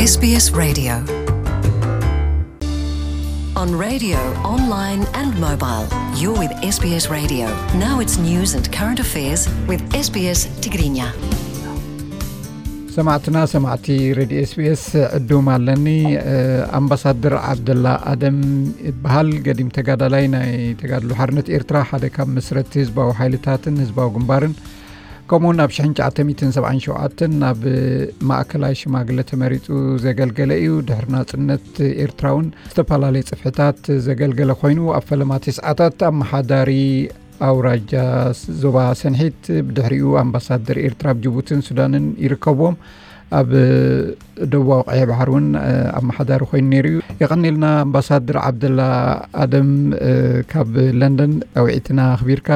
S B S Radio. On radio, online and mobile, you're with S B S Radio. Now it's news and current affairs with S B S Tigrinya. ሰማዕትና ሰማዕቲ ሬድዮ S B S ዕዱም ኣለኒ። ኣምባሳደር ዓብደላ ኣደም ይበሃል። ገዲም ተጋዳላይ ናይ ተጋድሎ ሓርነት ኤርትራ፣ ሓደ ካብ መስረቲ ህዝባዊ ሓይልታትን ህዝባዊ ግንባርን፣ ከምኡውን ኣብ ሽሕን ትሽዓተ ሚእትን ሰብዓን ሸውዓተን ናብ ማእከላይ ሽማግለ ተመሪጹ ዘገልገለ እዩ። ድሕሪ ናጽነት ኤርትራ እውን ዝተፈላለየ ጽፍሕታት ዘገልገለ ኮይኑ፣ ኣብ ፈለማ ተስዓታት ኣመሓዳሪ ኣውራጃ ዞባ ሰንሒት፣ ብድሕሪኡ ኣምባሳደር ኤርትራ ኣብ ጅቡትን ሱዳንን ይርከብዎም። ኣብ ደቡባዊ ቀይሕ ባሕሪ እውን ኣመሓዳሪ ኮይኑ ነይሩ እዩ። የቐኔልና ኣምባሳደር ዓብደላ ኣደም፣ ካብ ለንደን ጻውዒትና ኣኽቢርካ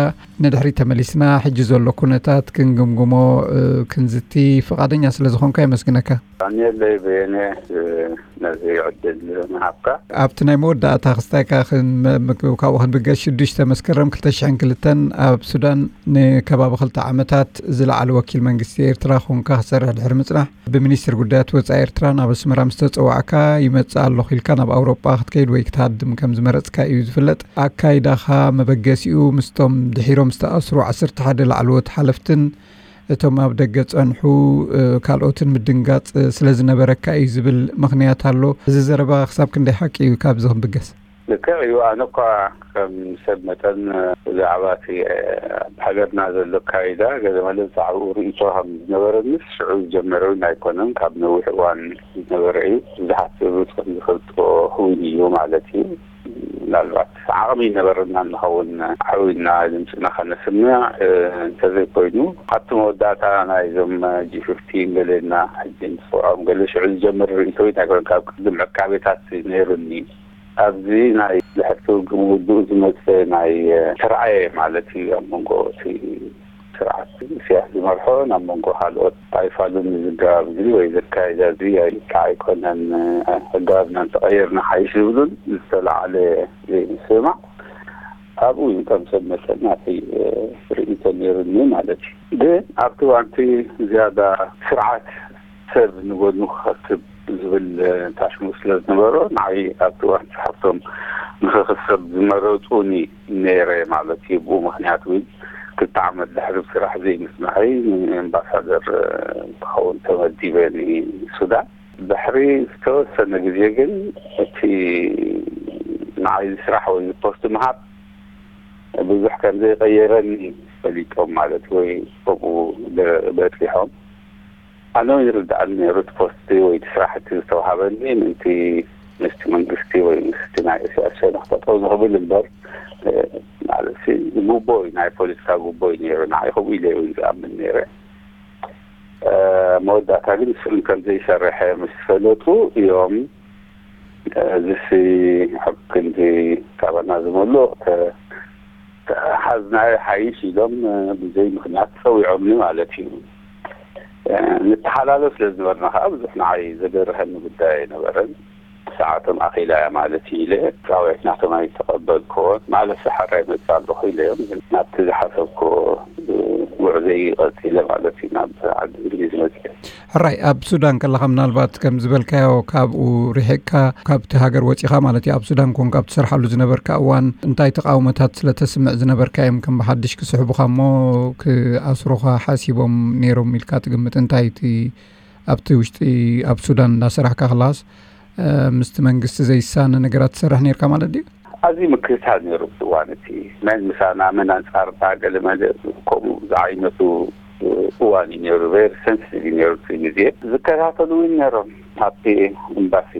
ንድሕሪት ተመሊስና ሕጂ ዘሎ ኩነታት ክንግምግሞ ክንዝቲ ፍቓደኛ ስለ ዝኾንካ የመስግነካ። የቐንየለይ በየነ፣ ነዚ ዕድል ምሃብካ። ኣብቲ ናይ መወዳእታ ክስታይካ ክን-፣ መ-፣ መ-፣ ካብኡ ክንብገስ፣ ሽዱሽተ መስከረም ክልተ ሽሕን ክልተን ኣብ ሱዳን ንከባቢ ክልተ ዓመታት ዝለዓለ ወኪል መንግስቲ ኤርትራ ኮንካ ክሰርሕ ድሕሪ ምጽናሕ፣ ብሚኒስትር ጉዳያት ወጻኢ ኤርትራ ናብ ኣስመራ ምስ ተጸዋዕካ፣ ይመጽእ ኣለኹ ኢልካ ናብ ኣውሮጳ ክትከይድ ወይ ክትሃድም ከም ዝመረጽካ እዩ ዝፍለጥ። ኣካይዳኻ መበገሲኡ ምስቶም ድሒሮም ዝተኣስሩ ዓሰርተ ሓደ ላዕለዎት ሓለፍትን እቶም ኣብ ደገ ጸንሑ፣ እ፣ ካልኦትን ምድንጋጽ ስለ ዝነበረካ እዩ ዝብል ምኽንያት ኣሎ። እዚ ዘረባ ክሳብ ክንደይ ሓቂ እዩ ካብዚ ክንብገስ? ልክዕ እዩ። ኣነ እኳ ከም ሰብ መጠን ብዛዕባ እቲ ኣብ ሃገርና ዘሎ ኣካይዳ ገለ መለ ብዛዕባኡ ርእይቶ ከም ዝነበረንስ ሽዑ ዝጀመረ እውን ኣይኮነን። ካብ ነዊሕ እዋን ዝነበረ እዩ። ብዙሓት ሰባት ከም ዝፈልጥዎ እውን እዩ ማለት እዩ። ምናልባት ዓቕሚ ይነበረና እንኸውን ዓዊና ድምፅና ከነስምዕ፣ እ፣ እንተዘይኮይኑ፣ ኣብቲ መወዳእታ ናይዞም ጂ ፊፍቲን ገለና ሕጂ ንፅውዖም ገለ ሽዑ ዝጀመር ርእይቶ ኣይኮነን። ካብ ቅድም ዕቃቤታት ነይሩኒ። ኣብዚ ናይ ድሕሪ ውግእ ምውድኡ ዝመፀ ናይ፣ እ፣ ተራእየ ማለት እዩ። ኣብ መንጎ እቲ ስርዓት ኢሳያስ ዝመርሖ ናብ መንጎ ካልኦት ኣይፋሉን ዝጋብ እዚ ወይ ዘካይዳ እዚ ኣይከዓ ኣይኮነን፣ ኣጋብና እንተቐየርና ሓይሽ ዝብሉን ዝተላዕለ ዘይምስምማዕ ኣብኡ እዩ። ከም ሰብ መጠን ናተይ ርእይቶ ነይሩኒ ማለት እዩ። ግን ኣብቲ እዋንቲ ዝያዳ ስርዓት ሰብ ንጎድኑ ክኸትብ ዝብል ታሽሙ ስለ ዝነበሮ፣ ንዓይ ኣብቲ እዋን ሓፍቶም ንኽኽሰብ ዝመረጹኒ ነይረ ማለት እዩ። ብኡ ምኽንያት እውን ክልተ ዓመት ድሕሪ ስራሕ ዘይምስማዐይ ንኤምባሳደር ክኸውን ተመዲበ ንሱዳን። ድሕሪ ዝተወሰነ ግዜ ግን እቲ ንዓይ ስራሕ ወይ ፖስት ምሃብ ብዙሕ ከም ዘይቀየረኒ ፈሊጦም ማለት ወይ ከምኡ ደ-፣ በጺሖም። ኣነ እውን ይርድኣኒ ነይሩ እቲ ፖስቲ ወይ እቲ ስራሕ እቲ ዝተዋሃበኒ ምእንቲ ምስቲ መንግስቲ ወይ ምስቲ ናይ ኢሳያስ ሸነኽ ጠጠው ንኽብል እምበር፣ እ፣ ማለት ሲ ጉቦ እዩ፣ ናይ ፖለቲካ ጉቦ እዩ ነይሩ። ንዓይ ከምኡ ኢለ እውን ዝኣምን ነይረ። እ፣ መወዳእታ ግን እሱ እውን ከም ዘይሰርሐ ምስ ፈለጡ እዮም፣ እ፣ እዚሲ ኣብ ክንዲ ካባና ዝመልኦ ተ-፣ ተሓዝናዮ ሓይሽ ኢሎም፣ እ፣ ብዘይ ምኽንያት ጸዊዖምኒ ማለት እዩ። እ፣ ንተሓላለፍ ስለ ዝነበርና ከዓ ብዙሕ ንዓይ ዘገርሀኒ ጉዳይ ኣይነበረን። ሰዓቶም ኣኺላ እያ ማለት እዩ ኢለ ጻውዒት ናቶም ኣይተቐበልክዎን። ማለት ሰሓራ ይመጽእ ኣለኹ ኢለ እዮም ናብቲ ዝሓሰብክዎ፣ እ፣ ጉዕዘይ ቀጺለ ማለት እዩ ናብ ዓዲ እንግሊዝ መጺኤ። ሕራይ፣ ኣብ ሱዳን ከለኻ ምናልባት ከም ዝበልካዮ ካብኡ ርሒቕካ፣ ካብቲ ሃገር ወጺኻ ማለት እዩ፣ ኣብ ሱዳን ኮንካ ኣብ ትሰርሓሉ ዝነበርካ እዋን እንታይ ተቃውሞታት ስለ ተስምዕ ዝነበርካ እዮም ከም ብሓድሽ ክስሕቡኻ እሞ ክኣስሩኻ ሓሲቦም ነይሮም ኢልካ ትግምት? እንታይ እቲ ኣብቲ ውሽጢ ኣብ ሱዳን እንዳሰራሕካ ከለኻስ፣ እ፣ ምስቲ መንግስቲ ዘይሳነ ነገራት ትሰርሕ ነይርካ ማለት ድዩ? ኣዝዩ ምክትታል ነይሩ እቲ እዋን እቲ። መን ምሳና፣ መን ኣንጻርና፣ ገለ መለ ከምኡ ዝዓይነቱ እዋን እዩ ነይሩ። ቨሪ ሰንሲቲቭ እዩ ነይሩ እቲ ግዜ። ዝከታተሉ እውን ነይሮም ኣብቲ ኤምባሲ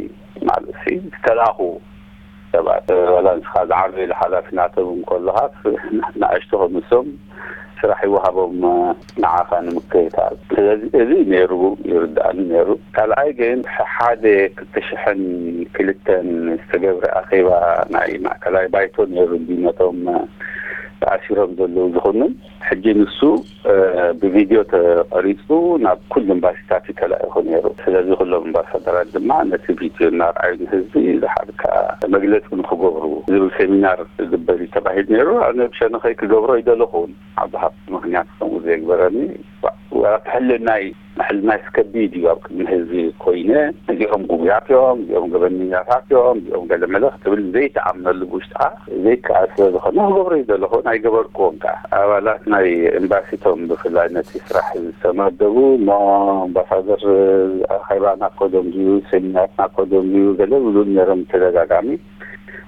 ማለት ሲ ዝተላእኹ ሰባት። ዋላ ንስኻ ዝዓበየ ሓላፊ ናቶም እንከለኻስ ንኣሽቱ ከምሶም ስራሕ ይወሃቦም ንዓኻ ንምክትታል። ስለዚ እዚ ነይሩ ይርድኣኒ ነይሩ። ካልኣይ ግን ሓደ ክልተ ሽሕን ክልተን ዝተገብረ ኣኼባ ናይ ማእከላይ ባይቶ ነይሩ፣ ነቶም ተኣሲሮም ዘለዉ ዝኹንን። ሕጂ ንሱ፣ እ፣ ብቪድዮ ተቐሪጹ ናብ ኩሉ ኤምባሲታት እዩ ተላኢኹ ነይሩ። ስለዚ ኩሎም ኣምባሳደራት ድማ ነቲ ቪድዮ እናርኣዩ ንህዝቢ ዝሓልካ መግለጺ ንኽገብሩ ዝብል ሴሚናር ክግበር እዩ ተባሂሉ ነይሩ። ኣነ ብሸነኸይ ክገብሮ ይደለኹ እውን፣ ዓቢ ሃብቲ ምኽንያት ከምኡ ዘየግበረኒ፣ ዋላ እቲ ሕልናይ ሕልናይስ ከቢድ እዩ። ኣብ ቅድሚ ህዝቢ ኮይነ፣ እዚኦም ጉቡያት እዮም፣ እዚኦም ገበነኛታት እዮም፣ እዚኦም ገለመለ ክትብል ዘይትኣምነሉ፣ ብውሽጥኻ ዘይከኣል ስለ ዝኾነ፣ ክገብሮ እዩ ዘለኹ። ኣይገበርክዎን ከኣ። ኣባላት ናይ ኤምባሲቶም፣ ብፍላይ ነቲ ስራሕ ዝተመደቡ፣ እሞ ኣምባሳደር ኣኼባና ኮዶም ድዩ፣ ሴሚናርና ኮዶም ድዩ፣ ገለ ብሉን ነይሮም ብተደጋጋሚ።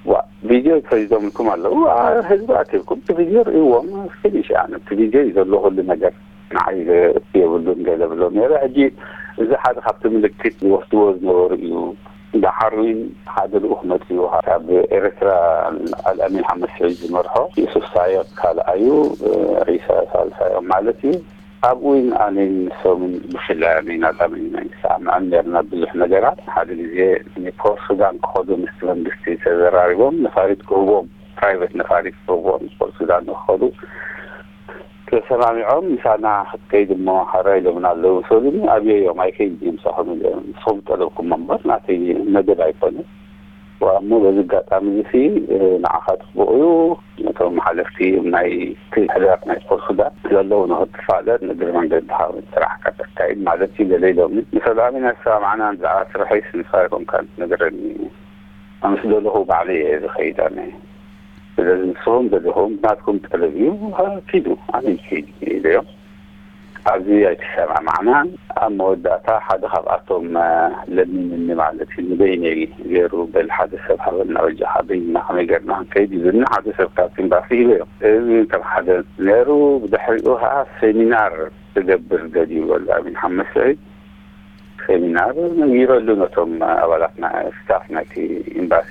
ዋ፣ ቪድዮ ተይዞምልኩም ኣለዉ። ዋ፣ ህዝቢ ኣኪብኩም እቲ ቪድዮ ርእይዎም፣ ፊኒሽ። ኣነ እቲ ቪድዮ እዩ ዘሎ ኩሉ ነገር። ንዓይ ዘእቱ የብሉን ገለ ብሎ ነይረ። ሕጂ እዚ ሓደ ካብቲ ምልክት ዝወስድዎ ዝነበሩ እዩ። ደሓር እውን ሓደ ልኡኽ መጺኡ፣ ካብ ኤርትራ፣ ኣልኣሚን ሓመድ ስዒድ ዝመርሖ፣ ዩሱፍ ሳየቕ ካልኣዩ፣ ዒሳ ሳልሳዮም ማለት እዩ። ኣብኡ እውን ኣነን ንሶምን ብፍላይ ኣነን ኣልኣሚን ኣይንሰማማዕን ነርና ብዙሕ ነገራት። ሓደ ግዜ ንፖርት ሱዳን ክኸዱ ምስቲ መንግስቲ ተዘራሪቦም፣ ነፋሪት ክህቦም፣ ፕራይቬት ነፋሪት ክህቦም ፖርት ሱዳን ንክኸዱ ተሰማሚዖም። ምሳና ክትከይድ እሞ ሓራ ኢሎምና ኣለዉ። ሰሉኒ ኣብየዮም፣ ኣይከይድ እየ ምሳኹም ኢለ። ንስኹም ጠለብኩም እምበር ናተይ መደብ ኣይኮነ። ዋ፣ እሞ በዚ ኣጋጣሚ እዚ ሲ፣ እ፣ ንዓኻ ጽቡቕ እዩ። ነቶም ሓለፍቲ ናይ እቲ ሕዳር ናይ ፖርት ሱዳን ዘለዉ ንኽትፋለጥ፣ ንእግሪ መንገድኻ ስራሕካ ተካይድ ማለት እዩ ገለ ኢሎምኒ። ንሰላሚ ናይ ሰማዕና ብዛዕባ ስርሐይስ ንስኻ ኣይኮንካን ትነግረኒ። ኣነስ ደለኹ ባዕለይ እየ ዝኸይድ ኣነ። ስለዚ ንስኹም ደለኹም ናትኩም ጠለብ እዩ፣ ኪዱ፣ ኣነ ይከይድ ኢለዮም። ኣብዚ ኣይተሰማማዕናን። ኣብ መወዳእታ ሓደ ካብኣቶም፣ እ፣ ለሚንኒ ማለት እዩ፣ ንበይነይ ገይሩ፣ በል ሓደ ሰብ ሃበና በጃኻ፣ በይንና ከመይ ገርና ክንከይድ ይብልኒ፣ ሓደ ሰብ ካብቲ ኤምባሲ ሂበዮ። እዚ ከም ሓደ ነይሩ። ብድሕሪኡ ከዓ ሴሚናር ክገብር ደልዩ በሉ ኣሚን ሓመድ ስዒድ። ሴሚናር ነጊረሉ ነቶም ኣባላት ና-፣ ስታፍ ናይቲ ኤምባሲ።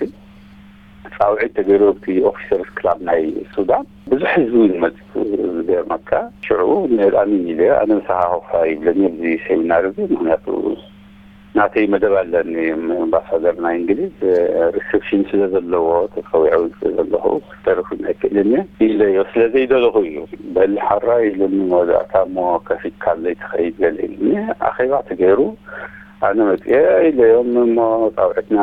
ጻውዒት ተገይሩ ኣብቲ ኦፊሰርስ ክላብ ናይ ሱዳን ብዙሕ ህዝቢ እውን መጽኡ። ዝገርመካ ሽዑ ንኣሚን ኢለ፣ ኣነ ምሳኻ ኮፋ ይብለኒ ኣብዚ ሴሚናር እዚ፣ ምኽንያቱ ናተይ መደብ ኣለኒ። ኣምባሳደር ናይ እንግሊዝ ሪሰፕሽን ስለ ዘለዎ፣ ተጸዊዐ እውን ስለ ዘለኹ ክተርፍ ኣይክእልን እየ ኢለዮ። ስለ ዘይደለኹ እዩ። በል ሓራ ኢሉኒ መወዳእታ፣ እሞ ከፊትካለይ ትኸይድ ገለ ኢሉኒ። ኣኼባ ተገይሩ። ኣነ መጽኤ ኢለዮም፣ እሞ ጻውዒትና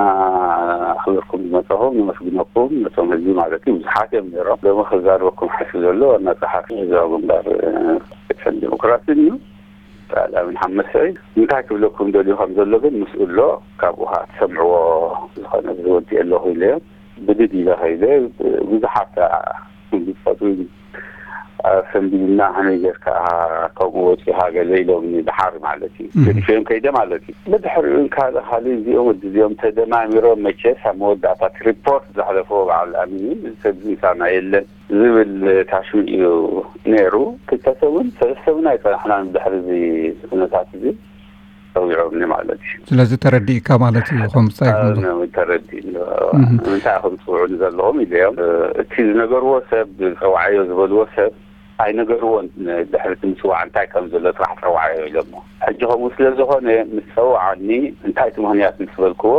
ኣኽቢርኩም ዝመጻኹም ነመስግነኩም። ነቶም ህዝቢ ማለት እዩ፣ ብዙሓት እዮም ነይሮም። ሎሚ ክዛረበኩም ሓሲብ ዘሎ ዋና ጸሓፊ ህዝባዊ ግንባር፣ እ፣ ፍትሕን ዲሞክራሲን እዩ። ኣልኣሚን ሓመድ ስዒድ። እንታይ ክብለኩም ደልዩ ከም ዘሎ ግን ምስኡ ኣሎ፣ ካብኡ ኸዓ ትሰምዕዎ። ዝኾነ ዝወዲ ኣለኹ ኢለዮም። ብድድ ኢለ ኸይደ፣ ብዙሓት ዝፈቱ ኣሰንቢድና፣ ከመይ ጌርካ ከምኡ ወፂኻ ገለ ኢሎምኒ፣ ደሓር ማለት እዩ። እህ። ገዲፈዮም ከይደ ማለት እዩ። ብድሕሪኡ ካልእ ካልእ እዚኦም ወዲ እዚኦም ተደማሚሮም፣ መቸስ ኣብ መወዳእታ እቲ ሪፖርት ዘሕለፎ በዓል ኣሚን እዩ፣ እዚ ሰብ እዚ ምሳና የለን ዝብል ታሽሙ እዩ ነይሩ። ክልተ ሰሙን ሰለስተ ሰሙን ኣይጸናሕናን ብድሕሪ እዚ ኩነታት እዚ ጸዊዖምኒ ማለት እዩ። ስለዚ ተረዲእካ ማለት እዩ፣ ከም ብጻይ ከም ዘሎ። ኣነ ተረዲእኒ። እህ። ንምንታይ ኢኹም ትጽውዑኒ ዘለኹም ኢለዮም። እቲ ዝነገርዎ ሰብ፣ ጸውዓዮ ዝበልዎ ሰብ ኣይነገርዎን። ድሕሪ እቲ ምጽዋዕ እንታይ ከም ዘሎ ጥራሕ ጸውዓዮ ኢሎሞ። ሕጂ ከምኡ ስለ ዝኾነ ምስ ጸውዓኒ፣ እንታይ እቲ ምኽንያት ምስ በልክዎ፣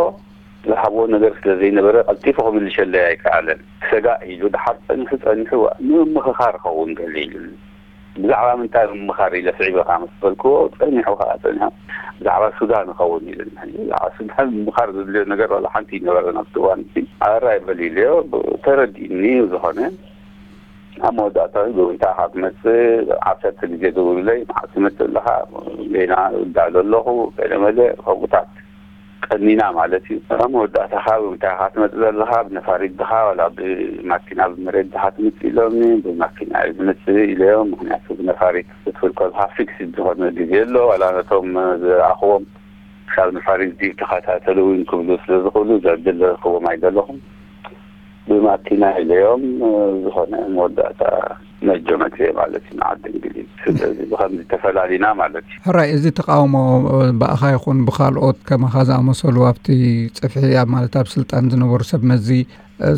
ዝሃብዎ ነገር ስለ ዘይነበረ ቀልጢፉ ክምልሸለይ ኣይከኣለን። ክሰጋእ ኢሉ፣ ደሓር ጸኒሑ ጸኒሑ፣ ንምምኽኻር ኸውን ገለ ኢሉኒ። ብዛዕባ ምንታይ ምምኻር ኢለ ስዒበ ከኣ ምስ በልክዎ፣ ጸኒሑ ከኣ ጸኒሑ፣ ብዛዕባ ሱዳን ይኸውን ኢሉኒ። ብዛዕባ ሱዳን ምምኻር ዘድልዮ ነገር ዋላ ሓንቲ ኣይነበረን ኣብቲ እዋን እቲ። ኣራይ በል ኢለዮ፣ ተረዲእኒ። ዝኾነ ኣብ መወዳእታ ብምንታይ ኢኻ ትመጽእ? ዓሰርተ ግዜ ደውሉለይ፣ መዓስ ትመጽእ ኣለኻ? ጌና እዳሎ ኣለኹ፣ ገለመለ፣ ከምኡታት ቀኒና ማለት እዩ። ኣብ መወዳእታ ኸኣ ብምንታይ ኢኻ ትመጽእ ዘለኻ? ብነፋሪት ድኻ ዋላ ብማኪና ብመሬት ድኻ ትመጽእ ኢሎምኒ። ብማኪና እየ ዝመጽእ ኢለዮም። ምኽንያቱ ብነፋሪት ክትብል ከለኻ ፊክስድ ዝኾነ ግዜ ኣሎ። ዋላ ነቶም ዝረኣኽዎም ክሳብ ነፋሪት ድዩ ተኸታተሉ እውን ክብሉ ስለ ዝኽእሉ ዘዕድል ክዎም ኣይደለኹም። ብማኪና ኢለዮም፣ ዝኾነ መወዳእታ ነጆ መጽየ ማለት እዩ ንዓዲ እንግሊዝ። ስለዚ ብኸምዚ ተፈላሊና ማለት እዩ። ሕራይ፣ እዚ ተቃውሞ ብኣኻ ይኹን ብኻልኦት ከማኻ ዝኣመሰሉ ኣብቲ ጽፍሒ ኣብ፣ ማለት፣ ኣብ ስልጣን ዝነበሩ ሰብ መዚ፣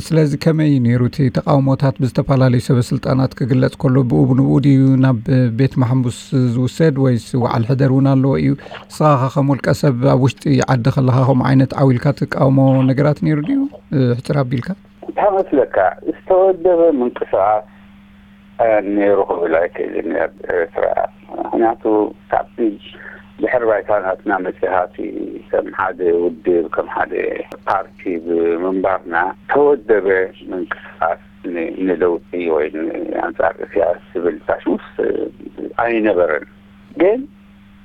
ስለዚ ከመይ እዩ ነይሩ እቲ ተቃውሞታት? ብዝተፈላለዩ ሰበ ስልጣናት ክግለጽ ከሎ ብኡ ብንብኡ ድዩ ናብ ቤት ማሕቡስ ዝውሰድ ወይስ ወዓል ሕደር እውን ኣለዎ እዩ? ንስኻ ኸ ከም ውልቀ ሰብ ኣብ ውሽጢ ዓዲ ከለኻ ከምኡ ዓይነት ዓው ኢልካ ትቃወሞ ነገራት ነይሩ ድዩ? ሕጽር ኣቢልካ። እንታይ መስለካ፣ ዝተወደበ ምንቅስቓስ ነይሩ ክብል ኣይክእልን ኣብ ኤርትራ። ምኽንያቱ ካብቲ ድሕሪ ባይታ ናትና መጺኻ፣ እቲ ከም ሓደ ውድብ፣ ከም ሓደ ፓርቲ ብምንባርና፣ ተወደበ ምንቅስቓስ ን-፣ ንለውጢ ወይ ን-፣ ኣንጻር እስያስ ዝብል ታሽሙስ ኣይነበረን። ግን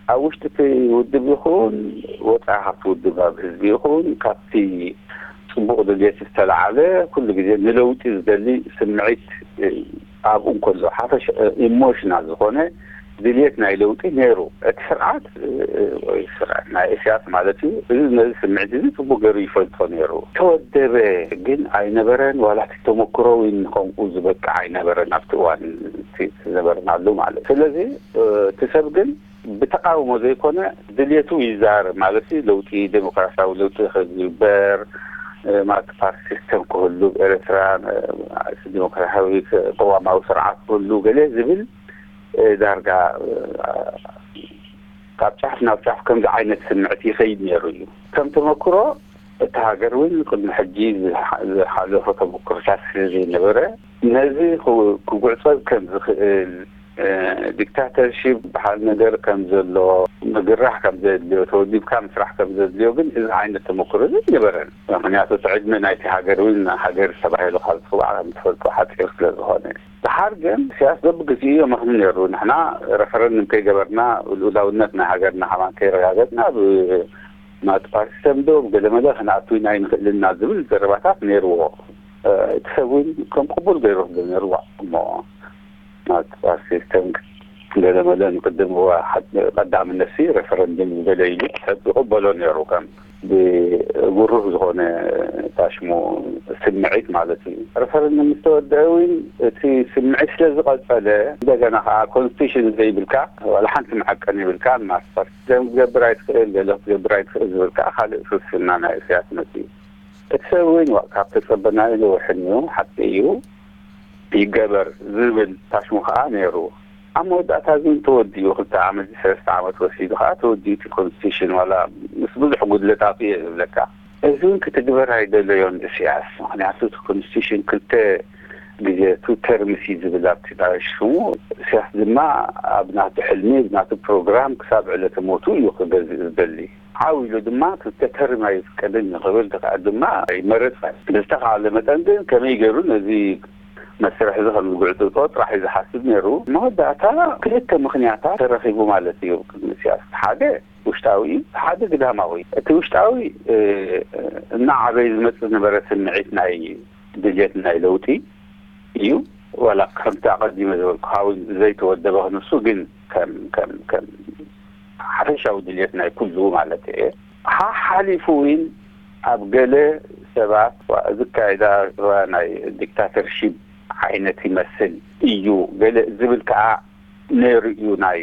ኣብ ውሽጢ እቲ ውድብ ይኹን ወፃኢ ካብቲ ውድብ፣ ኣብ ህዝቢ ይኹን ካብቲ ፅቡቕ ድልየት ዝተላዓለ ኩሉ ግዜ ንለውጢ ዝደሊ ስምዒት ኣብኡ እንከሎ ሓፈሽ ኢሞሽናል ዝኾነ ድልየት ናይ ለውጢ ነይሩ። እቲ ስርዓት ወይ ስርዓት ናይ እስያስ ማለት እዩ። እዚ ነዚ ስምዒት እዚ ፅቡቅ ገይሩ ይፈልጦ ነይሩ። ተወደበ ግን ኣይነበረን፣ ዋላ እቲ ተመክሮ እውን ከምኡ ዝበቅዕ ኣይነበረን ኣብቲ እዋን እቲ ዝነበርናሉ ማለት። ስለዚ እቲ ሰብ ግን ብተቃውሞ ዘይኮነ ድልየቱ ይዛረብ ማለት እዩ። ለውጢ፣ ዴሞክራሲያዊ ለውጢ ክግበር ማለት ፓርቲ ሲስተም ክህሉ ኤርትራ ዲሞክራሲያዊ ቅዋማዊ ስርዓት ክህሉ ገለ ዝብል ዳርጋ ካብ ጫፍ ናብ ጫፍ ከምዚ ዓይነት ስምዕት ይኸይድ ነይሩ እዩ። ከም ተመክሮ እታ ሃገር እውን ቅድሚ ሕጂ ዝሓለፎ ተመክሮታት ስለ ዘይነበረ ነዚ ክጉዕፀብ ከም ዝኽእል ዲክታተርሺፕ በሃል ነገር ከም ዘሎ ምግራሕ ከም ዘድልዮ ተወዲብካ ምስራሕ ከም ዘድልዮ ግን እዚ ዓይነት ተመክሮ ዘይነበረን። ምክንያቱ እቲ ዕድመ ናይቲ ሃገር እውን ሃገር ተባሂሉ ካብ ዝፅዋዕ ከም ትፈልጦ ሓፂር ስለ ዝኾነ። ድሓር ግን ኢሳያስ በብግዜኡ የመኽኒ ነይሩ። ንሕና ረፈረንድም ከይገበርና ልኡላውነት ናይ ሃገርና ከማን ከይረጋገጽና ብማቲ ፓርቲ ሰምዶ ብገለመለ ክንኣቱ ኢና ኣይንኽእልን ኢና ዝብል ዘረባታት ነይርዎ። እቲ ሰብ እውን ከም ቅቡል ገይሩ ክብል ነይርዎ። እሞ ማቲ ፓርቲ ሲስተም ገለመለ ንቅድም ቀዳምነት ሲ ረፈረንድም ዝበለ ኢሉ ይቕበሎ ነይሩ ከም ብጉሩህ ዝኾነ ታሽሙ ስምዒት ማለት እዩ። ረፈረንደም ምስ ተወደአ እውን እቲ ስምዒት ስለ ዝቐጸለ እንደገና ከዓ ኮንስቲቱሽን ዘይብልካ ዋላ ሓንቲ መዐቀኒ ይብልካ ማስተር ክትገብር ኣይትኽእል ገለ ክትገብር ኣይትኽእል ዝብል ከዓ ካልእ ፍልስፍና ናይ እስያስ መፅኡ። እቲ ሰብ እውን ካብ ተፀበናዮ ነውሕን እዩ ሓቂ እዩ ይገበር ዝብል ታሽሙ ከዓ ነይሩ። ኣብ መወዳእታ ግን ተወዲኡ ክልተ ዓመት ሰለስተ ዓመት ወሲዱ ከዓ ተወዲኡ እቲ ኮንስቲቱሽን ዋላ ምስ ብዙሕ ጉድለታቱ እየ ዝብለካ። እዚ እውን ክትግበር ኣይደለዮን እስያስ። ምክንያቱ እቲ ኮንስቲቱሽን ክልተ ግዜ ቱ ተርምስ እዩ ዝብል ኣብቲ ሽሙ። እስያስ ድማ ኣብ ናቱ ሕልሚ ናቱ ፕሮግራም ክሳብ ዕለተ ሞቱ እዩ ክገዝእ ዝደሊ። ዓው ኢሉ ድማ ክልተ ተርም ኣይፍቀድን እዩ ክብል ከዓ ድማ ኣይመረፅን። ብዝተኻለ መጠን ግን ከመይ ገይሩ ነዚ መስርሕ እዚ ከም ዝጉዕፅፆ ጥራሕ እዩ ዝሓስብ ነይሩ። መወዳእታ ክልተ ምኽንያታት ተረኺቡ ማለት እዩ ቅድሚ እስያስ። ሓደ ውሽጣዊ እዩ፣ ሓደ ግዳማዊ። እቲ ውሽጣዊ እናዓበየ ዝመፅእ ዝነበረ ስምዒት ናይ ድልየት ናይ ለውጢ እዩ። ዋላ ከምቲ ኣቐዲመ ዝበልኩኻ እውን ዘይተወደበ ክንሱ ግን ከም ከም ከም ሓፈሻዊ ድልየት ናይ ኩሉ ማለት እየ። ሓሓሊፉ እውን ኣብ ገለ ሰባት ዝካየዳ ናይ ዲክታተርሺፕ ዓይነት ይመስል እዩ ገለ ዝብል ከዓ ነይሩ እዩ ናይ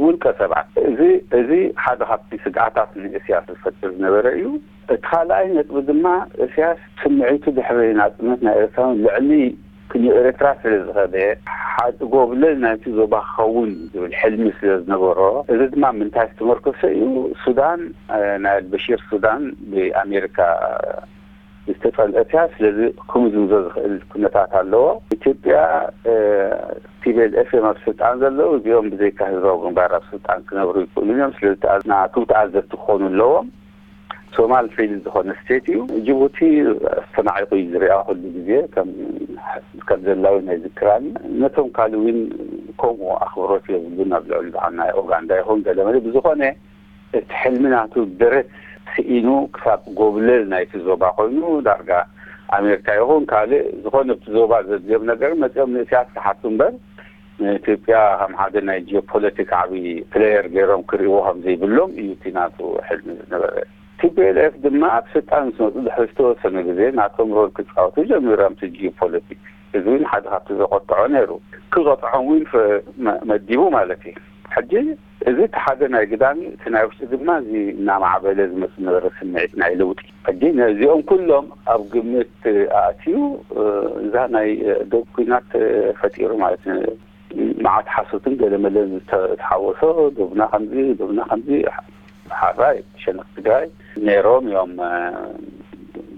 ውልቀ ሰባት። እዚ እዚ ሓደ ካብቲ ስግኣታት ንእስያስ ዝፈጥር ዝነበረ እዩ። እቲ ካልኣይ ነጥቢ ድማ እስያስ ስምዒቱ ድሕሪ ናጽነት ናይ ኤርትራን ልዕሊ ክንዮ ኤርትራ ስለ ዝኸደ ሓ- ጎብለል ናይቲ ዞባ ክኸውን ዝብል ሕልሚ ስለ ዝነበሮ እዚ ድማ ምንታይ ዝተመርኮሰ እዩ? ሱዳን ናይ ኣልበሺር ሱዳን ብኣሜሪካ ዝተጸልአት እያ። ስለዚ ክምዝምዞ ዝኽእል ኩነታት ኣለዎ። ኢትዮጵያ ቲ ቢ ኤል ኤፍ እዮም ኣብ ስልጣን ዘለዉ። እዚኦም ብዘይካ ህዝባዊ ግንባር ኣብ ስልጣን ክነብሩ ይኽእሉ እዮም። ስለዚ ናቱ ተኣዘዝቲ ክኾኑ ኣለዎም። ሶማል ፌል ዝኾነ ስቴት እዩ። ጅቡቲ ኣስተናዒቑ እዩ ዝሪኣ ኩሉ ግዜ ከም ከም ዘላዊ ናይ ዝክራን ነቶም ካልእ እውን ከምኡ ኣኽብሮት የብሉን ኣብ ልዕሊ በዓል ናይ ኦጋንዳ ይኹን ገለመለ ብዝኾነ እቲ ሕልሚ ናቱ ደረት ስኢኑ ክሳብ ጎብለል ናይቲ ዞባ ኮይኑ ዳርጋ ኣሜሪካ ይኹን ካልእ ዝኾነ ኣብቲ ዞባ ዘድልዮም ነገር መፂኦም ንእስያስ ክሓቱ እምበር ንኢትዮጵያ ከም ሓደ ናይ ጂኦፖለቲክ ዓብዪ ፕሌየር ገይሮም ክርእይዎ ከም ዘይብሎም እዩ እቲ ናቱ ሕልሚ ዝነበረ። ቲ ፒ ኤል ኤፍ ድማ ኣብ ስልጣን ምስ መፁ ድሕሪ ዝተወሰነ ግዜ ናቶም ሮል ክፃወቱ ጀሚሮም እቲ ጂኦፖለቲክ። እዚ እውን ሓደ ካብቲ ዘቆጥዖ ነይሩ። ክቐጥዖም እውን ፈ- መ- መዲቡ ማለት እዩ። ሕጂ እዚ እቲ ሓደ ናይ ግዳም እዩ። እቲ ናይ ውሽጢ ድማ እዚ እናማዕበለ ዝመፅእ ዝነበረ ስምዒት ናይ ለውጢ። ሕጂ ነዚኦም ኩሎም ኣብ ግምት ኣእትዩ እዛ ናይ ዶብ ኩናት ፈጢሩ ማለት እዩ። መዓት ሓሶትን ገለመለን ዝተሓወሶ ዶብና ከምዚ ዶብና ከምዚ ሓራይ ሸነኽ ትግራይ ነይሮም እዮም።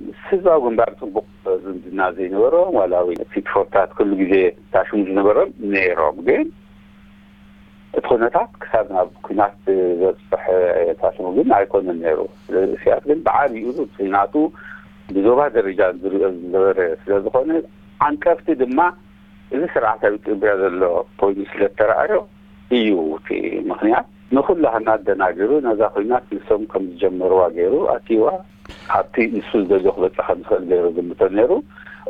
ምስ ህዝባዊ ግንባር ፅቡቕ ዝምድና ዘይነበሮም ዋላ እውን ፊትፎታት ኩሉ ግዜ ታሽሙ ዝነበሮም ነይሮም ግን እቲ ኩነታት ክሳብ ናብ ኩናት ዘብፅሕ ታሽሙ ግን ኣይኮነን ነይሩ። ስለዚ እስያስ ግን ብዓብይኡ እቲ ናቱ ብዞባ ደረጃ ዝሪኦ ዝነበረ ስለዝኾነ ዓንቀፍቲ ድማ እዚ ስርዓት ኣብ ኢትዮጵያ ዘሎ ኮይኑ ስለተረኣዮ እዩ እቲ ምኽንያት። ንኹላህና ኣደናጊሩ፣ ነዛ ኹናት ንሶም ከም ዝጀመርዋ ገይሩ ኣትይዋ፣ ኣብቲ ንሱ ዝደልዮ ክበጽሕ ከም ዝኽእል ገይሩ ግምቶ ነይሩ።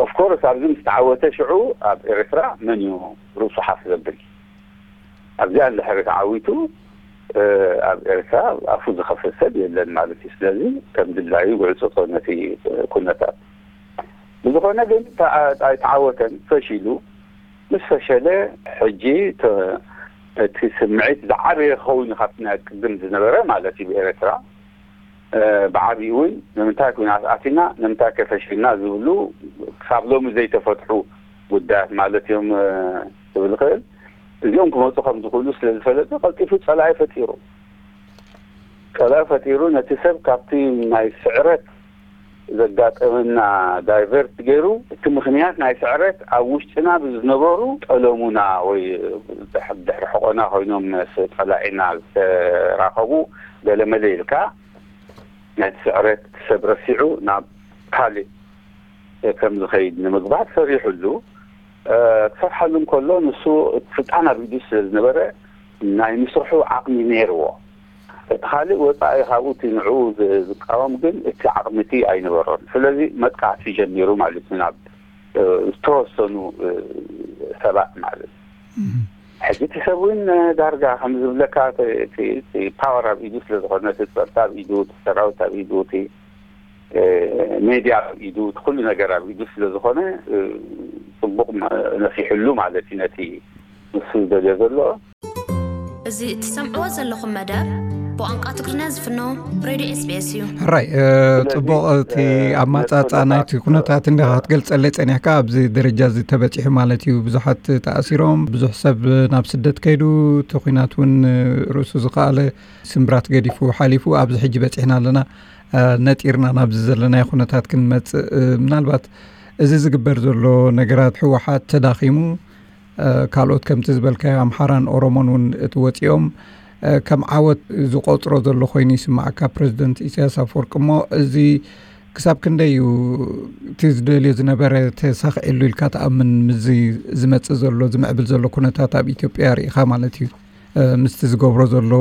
ኦፍኮርስ ኣብዚ ምስ ተዓወተ ሽዑ ኣብ ኤርትራ መን እዩ ርእሱ ሓፍ ዘብል? ኣብዚኣ እንድሕሪ ተዓዊቱ ኣብ ኤርትራ ኣፉ ዝኸፍት ሰብ የለን ማለት እዩ። ስለዚ ከም ድላዩ ይዕጽጾ ነቲ ኩነታት። ብዝኾነ ግን ተዓወተን፣ ፈሺሉ። ምስ ፈሸለ ሕጂ እቲ ስምዒት ዝዓበየ ክኸውን እዩ ካብቲ ናይ ቅድም ዝነበረ ማለት እዩ ብኤርትራ። ብዓብዩ እውን ንምንታይ ኩናት ኣቲና፣ ንምንታይ ከፈሽልና ዝብሉ ክሳብ ሎሚ ዘይተፈትሑ ጉዳያት ማለት እዮም ክብል ይኽእል። እዚኦም ክመፁ ከም ዝኽእሉ ስለ ዝፈለጠ ቀልጢፉ ፀላኢ ፈጢሩ። ጸላኢ ፈጢሩ ነቲ ሰብ ካብቲ ናይ ስዕረት ዘጋጠመና ዳይቨርት ገይሩ፣ እቲ ምኽንያት ናይ ስዕረት ኣብ ውሽጥና ብዝነበሩ ጠለሙና ወይ ድሕሪ ሕቆና ኮይኖም ጸላኢና ዝተራኸቡ ገለመለ ኢልካ ነቲ ስዕረት ሰብ ረሲዑ ናብ ካልእ ከም ዝኸይድ ንምግባር ሰሪሑሉ። ክሰርሓሉ እንከሎ ንሱ እቲ ስልጣን ኣብ ኢዱ ስለ ዝነበረ ናይ ምስርሑ ዓቕሚ ነይርዎ። እቲ ካልእ ወጻኢ ካብኡ እቲ ንዕኡ ዝቃወም ግን እቲ ዓቕሚ እቲ ኣይነበሮን። ስለዚ መጥቃዕቲ ጀሚሩ ማለት እዩ ናብ ዝተወሰኑ ሰባት ማለት እዩ። ሕጂ እቲ ሰብ እውን ዳርጋ ከም ዝብለካ እቲ ፓወር ኣብ ኢዱ ስለ ዝኾነ፣ እቲ ጸጥታ ኣብ ኢዱ፣ እቲ ሰራዊት ኣብ ኢዱ፣ እቲ ሜድያ ኣብ ኢዱ፣ እቲ ኩሉ ነገር ኣብ ኢዱ ስለ ዝኾነ ጽቡቕ ነፊሕሉ ማለት እዩ ነቲ ንሱ ዝደልዮ ዘሎ። እዚ እትሰምዕዎ ዘለኹም መደብ ብቋንቋ ትግርኛ ዝፍኖ ሬድዮ ኤስቢኤስ እዩ። ሕራይ ጽቡቕ። እቲ ኣማጻጻ ናይቲ ኩነታት እንዲኻ ክትገልጸለይ ጸኒሕካ፣ ኣብዚ ደረጃ እዚ ተበጺሑ ማለት እዩ። ብዙሓት ተኣሲሮም፣ ብዙሕ ሰብ ናብ ስደት ከይዱ፣ እቲ ኩናት እውን ርእሱ ዝኸኣለ ስምብራት ገዲፉ ሓሊፉ ኣብዚ ሕጂ በጺሕና ኣለና። ነጢርና ናብዚ ዘለናዮ ኩነታት ክንመጽእ ምናልባት እዚ ዝግበር ዘሎ ነገራት ህወሓት ተዳኺሙ ካልኦት ከምቲ ዝበልካዮ ኣምሓራን ኦሮሞን እውን እቲ ወፂኦም ከም ዓወት ዝቆፅሮ ዘሎ ኮይኑ ይስማዓካ ፕረዚደንት ኢሳያስ ኣፈወርቂ። እሞ እዚ ክሳብ ክንደይ እዩ እቲ ዝደልዮ ዝነበረ ተሳኺዕሉ ኢልካ ትኣምን? ምስዚ ዝመፅእ ዘሎ ዝምዕብል ዘሎ ኩነታት ኣብ ኢትዮጵያ ርኢኻ ማለት እዩ። ምስቲ ዝገብሮ ዘሎ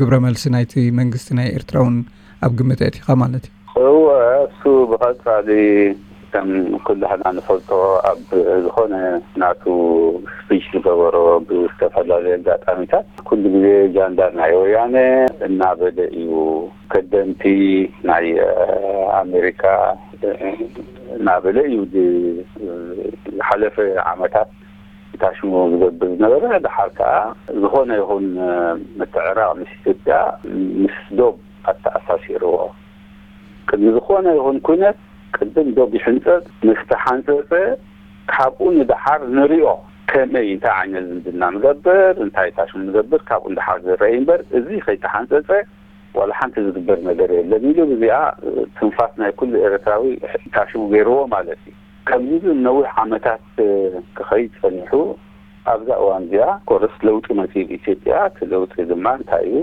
ግብረ መልሲ ናይቲ መንግስቲ ናይ ኤርትራ እውን ኣብ ግምት ኣእቲኻ ማለት እዩ። እወ፣ እሱ ብቐጻሊ ከም ኩላህና ንፈልጦ ኣብ ዝኾነ ናቱ ስፒች ዝገበሮ ብዝተፈላለዩ ኣጋጣሚታት ኩሉ ግዜ ጃንዳ ናይ ወያነ እናበለ እዩ። ከደምቲ ናይ ኣሜሪካ እናበለ እዩ ዝሓለፈ ዓመታት ታሽሙ ዝገብር ዝነበረ። ድሓር ከዓ ዝኾነ ይኹን ምትዕራቕ ምስ ኢትዮጵያ ምስ ዶብ ኣተኣሳሲርዎ። ቅድሚ ዝኾነ ይኹን ኩነት ቅድም ዶብ ይሕንፀፅ፣ ምስ ተሓንፀፀ ካብኡ ንደሓር ንሪኦ ከመይ እንታይ ዓይነት ዝምድና ንገብር እንታይ ታሽሙ ንገብር ካብኡ ንደሓር ዝረኣይ እምበር እዚ ከይተሓንፀፀ ዋላ ሓንቲ ዝግበር ነገር የለን ኢሉ ብዚኣ ትንፋስ ናይ ኩሉ ኤርትራዊ ታሽሙ ገይርዎ ማለት እዩ። ከምዚ ግን ነዊሕ ዓመታት ክኸይድ ጸኒሑ ኣብዛ እዋን እዚኣ ኮርስ ለውጢ መጺኡ ኢትዮጵያ። እቲ ለውጢ ድማ እንታይ እዩ?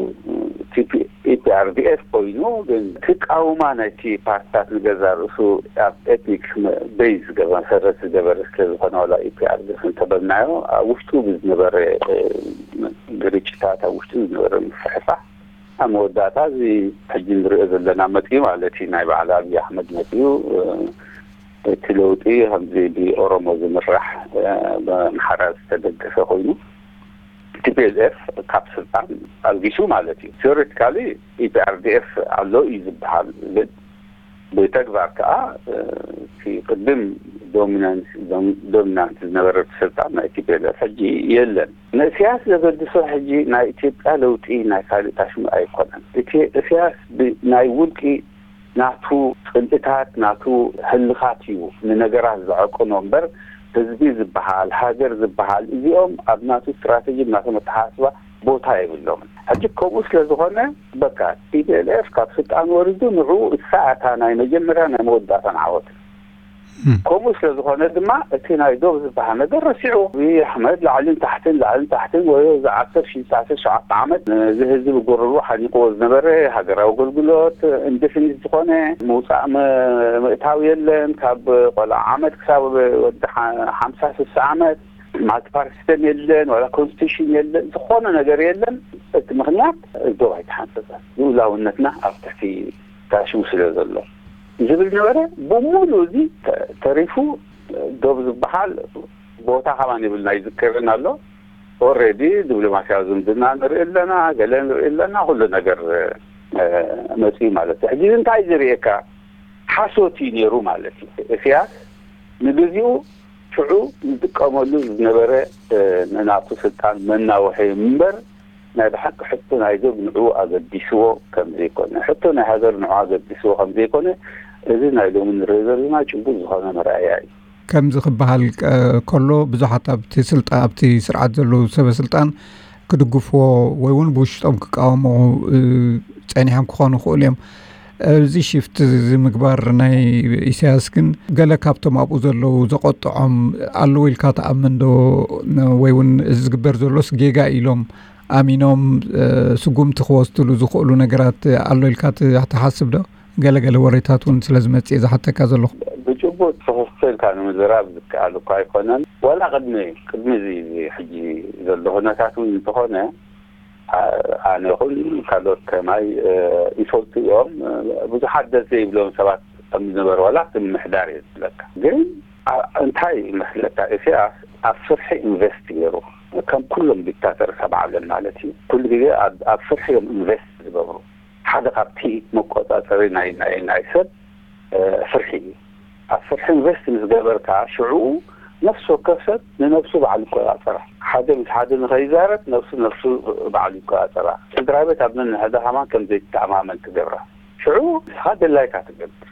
ኢፒኣርዲኤፍ ኮይኑ ግን ትቃውማ ናይቲ ፓርትታት ንገዛ ርእሱ ኣብ ኤትኒክ ቤዝ መሰረት ዝገበረ ስለ ዝኾነ ዋላ ኢፒኣርዲኤፍ እንተበልናዮ ኣብ ውሽጡ ብዝነበረ ግርጭታት ኣብ ውሽጡ ዝነበረ ምፍሕፋሕ ኣብ መወዳእታ እዚ ሕጂ ንሪኦ ዘለና መፂኡ ማለት እዩ። ናይ በዓል ኣብይ ኣሕመድ መፂኡ እቲ ለውጢ ከምዚ ብኦሮሞ ዝምራሕ ብኣምሓራ ዝተደገፈ ኮይኑ ቲፒኤልኤፍ ካብ ስልጣን ኣልጊሱ ማለት እዩ። ቴዎሬቲካሊ ኢፒኣርዲኤፍ ኣሎ እዩ ዝበሃል ግን ብተግባር ከዓ እቲ ቅድም ዶሚናንት ዶሚናንት ዝነበረ ስልጣን ናይ ቲፒኤልኤፍ ሕጂ የለን። ንእስያስ ዘገድሶ ሕጂ ናይ ኢትዮጵያ ለውጢ ናይ ካልእ ታሽሙ ኣይኮነን። እቲ እስያስ ናይ ውልቂ ናቱ ጽልእታት ናቱ ህልኻት እዩ ንነገራት ዘዐቅኖ እምበር ህዝቢ ዝበሃል ሃገር ዝበሃል እዚኦም ኣብ ናቱ ስትራተጂ ናቶም ኣተሓሳስባ ቦታ የብሎምን። ሕጂ ከምኡ ስለ ዝኾነ በቃ ቲፒኤልኤፍ ካብ ስልጣን ወሪዱ ንዑ እሳ እታ ናይ መጀመርያ ናይ መወዳእታን ዓወት ከምኡ ስለ ዝኾነ ድማ እቲ ናይ ዶብ ዝበሃል ነገር ረሲዑ ኣብይ ኣሕመድ ላዕልን ታሕትን ላዕልን ታሕትን ወይ እዚ ዓሰርተ ሺ ትሽዓተ ሸውዓተ ዓመት እዚ ህዝቢ ጎረርኡ ሓኒቕዎ ዝነበረ ሃገራዊ ኣገልግሎት ኢንደፊኒት ዝኾነ ምውፃእ ምእታው የለን ካብ ቆልዓ ዓመት ክሳብ ወዲ ሓምሳ ስሳ ዓመት ማልቲፓርቲ ሲስተም የለን፣ ዋላ ኮንስቲቱሽን የለን፣ ዝኾነ ነገር የለን። እቲ ምኽንያት ዶብ ኣይተሓንጸጸን፣ ልኡላውነትና ኣብ ትሕቲ ታሽሙ ስለ ዘሎ ዝብል ነበረ። ብሙሉ እዚ ተ- ተሪፉ ዶብ ዝበሃል ቦታ ከማን ይብልና ይዝከርን ኣሎ። ኦልሬዲ ዲፕሎማስያዊ ዝምድና ንርኢ ኣለና፣ ገለ ንርኢ ኣለና፣ ኩሉ ነገር መፅዩ ማለት እዩ። ሕጂ እንታይ ዝርእየካ ሓሶት እዩ ነይሩ ማለት እዩ። እስያስ ንግዚኡ ሽዑ ዝጥቀመሉ ዝነበረ ንናቱ ስልጣን መናውሒ እምበር ናይ ብሓቂ ሕቶ ናይ ዶብ ንዕኡ ኣገዲስዎ ከም ዘይኮነ፣ ሕቶ ናይ ሃገር ንዕኡ ኣገዲስዎ ከም ዘይኮነ እዚ ናይ ሎሚ ንሪኦ ዘለና ጭቡጥ ዝኾነ መርኣያ እዩ። ከምዚ ክበሃል ከሎ ብዙሓት ኣብቲ ስልጣ ኣብቲ ስርዓት ዘለዉ ሰበ ስልጣን ክድግፍዎ ወይ እውን ብውሽጦም ክቃወሙ ጸኒሖም ክኾኑ ይኽእሉ እዮም። እዚ ሽፍት እዚ ምግባር ናይ ኢሳያስ ግን ገለ ካብቶም ኣብኡ ዘለዉ ዘቆጥዖም ኣለዉ ኢልካ ትኣምን ዶ? ወይ እውን እዚ ዝግበር ዘሎስ ጌጋ ኢሎም ኣሚኖም ስጉምቲ ክወስድሉ ዝኽእሉ ነገራት ኣሎ ኢልካ ትሓስብ ዶ? ገለገለ ወሬታት እውን ስለ ዝመጽእ ዝሓተካ ዘለኹ። ብጭቡጥ ትኽክል ኢልካ ንምዝራብ ዝከኣል እኳ ኣይኮነን። ዋላ ቅድሚ ቅድሚ እዚ ሕጂ ዘሎ ኩነታት እውን እንተኾነ ኣነ ይኹን ካልኦት ከማይ ይፈልጡ እዮም። ብዙሓት ደስ ዘይብሎም ሰባት ከም ዝነበሩ ዋላ እቲ ምምሕዳር እየ ዝብለካ። ግን እንታይ ይመስለካ፣ ኢሳያስ ኣብ ፍርሒ ኢንቨስት ገይሩ፣ ከም ኩሎም ዲክታተርስ ኣብ ዓለም ማለት እዩ። ኩሉ ግዜ ኣብ ፍርሒ እዮም ኢንቨስት ዝገብሩ። ሓደ ካብቲ መቆጻጸሪ ናይ ናይ ናይ ሰብ ፍርሒ እዩ። ኣብ ፍርሒ ኢንቨስት ምስ ገበርካ ሽዑ ነፍሲ ወከፍ ሰብ ንነብሱ በዓል ይቆጻጸራ። ሓደ ምስ ሓደ ንኸይዛረብ ነብሱ ነብሱ በዓል ይቆጻጸራ። ስድራ ቤት ኣብ ነንሕዳ ከማን ከም ዘይትተኣማመን ትገብራ። ሽዑ ንስኻ ደላይካ ትገብር።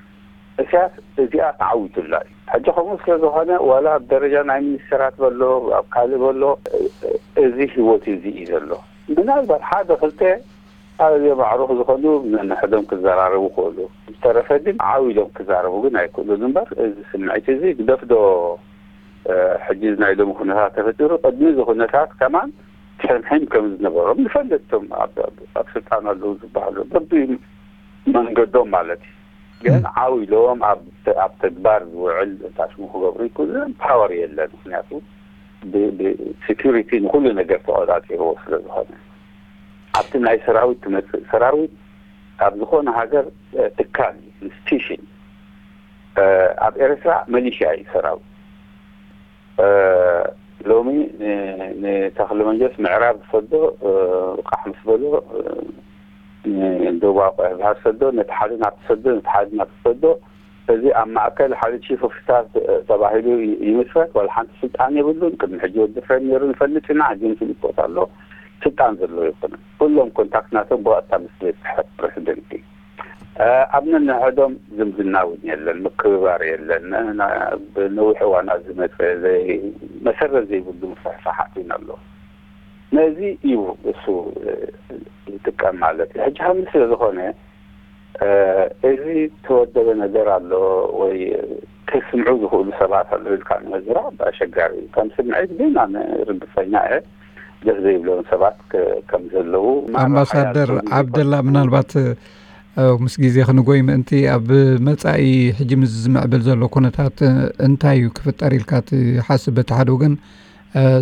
እስያስ እዚኣ ተዓዊቱላ እዩ። ሕጂ ከምኡ ስለ ዝኾነ ዋላ ኣብ ደረጃ ናይ ሚኒስተራት በሎ ኣብ ካልእ በሎ እዚ ህይወት እዚ እዩ ዘሎ። ምናልባት ሓደ ክልተ ኣብ ማዕሩኽ ዝኾኑ ነንሕዶም ክዘራረቡ ክእሉ፣ ዝተረፈ ግን ዓው ኢሎም ክዛረቡ ግን ኣይክእሉን እምበር እዚ ስምዒት እዚ ግደፍዶ ሕጂ ናይ ሎሚ ኩነታት ተፈጢሩ ቅድሚ እዚ ኩነታት ከማን ሕምሕም ከም ዝነበሮም ንፈልጥ። እቶም ኣብ ስልጣን ኣለዉ ዝበሃሉ በቢ መንገዶም ማለት እዩ። ግን ዓው ኢሎም ኣብ ተግባር ዝውዕል ታሽሙ ክገብሩ ይክእሉ ፓወር የለን። ምክንያቱ ብሴኪሪቲ ንኩሉ ነገር ተቆፃፂርዎ ስለ ዝኾነ ኣብቲ ናይ ሰራዊት ትመፅእ ሰራዊት ኣብ ዝኾነ ሃገር ትካል ኢንስቲቱሽን ኣብ ኤርትራ መሊሽያ እዩ ሰራዊት። ሎሚ ንተኽለ መንጀስ ምዕራብ ዝሰዶ ቃሕ ምስ በሎ ደቡብ ኣቆያ ዝበሃል ሰዶ ነቲ ሓደ ናብ ሰዶ ነቲ ሓደ ናብ ሰዶ እዚ ኣብ ማእከል ሓደ ቺፍ ኦፍ ስታፍ ተባሂሉ ይምስረት። ዋላ ሓንቲ ስልጣን የብሉን። ቅድሚ ሕጂ ወዲ ፍሬም ነይሩ ንፈልጥ ኢና። ሕጂ ንፍልጥ ቦታ ኣሎ ስልጣን ዘለዎ ይኮነ ኩሎም ኮንታክት ናቶም ብቐጥታ ምስ ቤት ጽሕፈት ፕሬዚደንት እዩ። ኣብ ነንሕዶም ዝምድና እውን የለን፣ ምክብባር የለን። ብነዊሕ እዋናት ዝመፀ መሰረት ዘይብሉ ምፍሕፋሓት ኢና ኣሎ። ነዚ እዩ እሱ ዝጥቀም ማለት እዩ። ሕጂ ሃምኒ ስለ ዝኾነ እዚ ተወደበ ነገር ኣሎ ወይ ከስምዑ ዝኽእሉ ሰባት ኣሎ ኢልካ ንምዝራብ ኣሸጋሪ እዩ። ከም ስምዒት ግን ኣነ ርግፀኛ እየ ደስ ዘይብሎም ሰባት ከም ዘለዉ። ኣምባሳደር ዓብደላ፣ ምናልባት ምስ ግዜ ክንጎይ ምእንቲ ኣብ መጻኢ ሕጂ ምስ ዝምዕብል ዘሎ ኩነታት እንታይ እዩ ክፍጠር ኢልካ ትሓስብ? በቲ ሓደ ወገን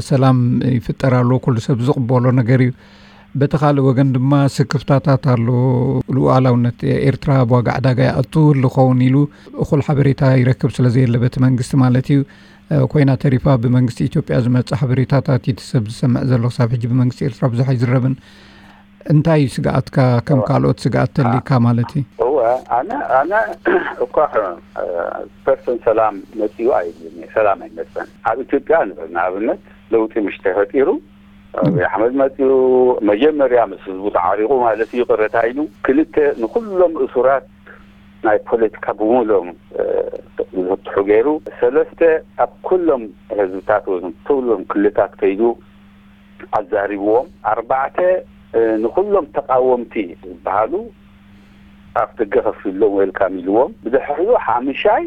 ሰላም ይፍጠር ኣሎ፣ ኩሉ ሰብ ዝቕበሎ ነገር እዩ። በቲ ካልእ ወገን ድማ ስክፍታታት ኣሎ። ሉዓላውነት ኤርትራ ኣብ ዋጋ ዕዳጋ ይኣቱ ዝኸውን ኢሉ እኹል ሓበሬታ ይረክብ ስለ ዘየለ በቲ መንግስቲ ማለት እዩ። ኮይና ተሪፋ ብመንግስቲ ኢትዮጵያ ዝመጽእ ሓበሬታታት እዩ እቲ ሰብ ዝሰምዕ ዘሎ። ክሳብ ሕጂ ብመንግስቲ ኤርትራ ብዙሕ ኣይዝረብን። እንታይ እዩ ስግኣትካ? ከም ካልኦት ስግኣት ተሊካ ማለት እዩ? እወ፣ ኣነ ኣነ እኳ ፐርሰን ሰላም መጺኡ ኣይብልን እየ። ሰላም ኣይመጸን። ኣብ ኢትዮጵያ ንብል ንኣብነት ለውጢ ምሽ ተፈጢሩ ኣብይ ኣሕመድ መጺኡ መጀመርያ ምስ ህዝቡ ተዓሪቑ ማለት እዩ፣ ይቕረታ ኢሉ። ክልተ ንኹሎም እሱራት ናይ ፖለቲካ ብምሎም ዝፍትሑ ገይሩ። ሰለስተ ኣብ ኩሎም ህዝብታት ወይ ኩሎም ክልታት ከይዱ ኣዛሪብዎም። ኣርባዕተ ንኹሎም ተቃወምቲ ዝበሃሉ ኣፍ ደገ ከፊሎም ዌልካም ኢልዎም። ብድሕሪኡ ሓምሻይ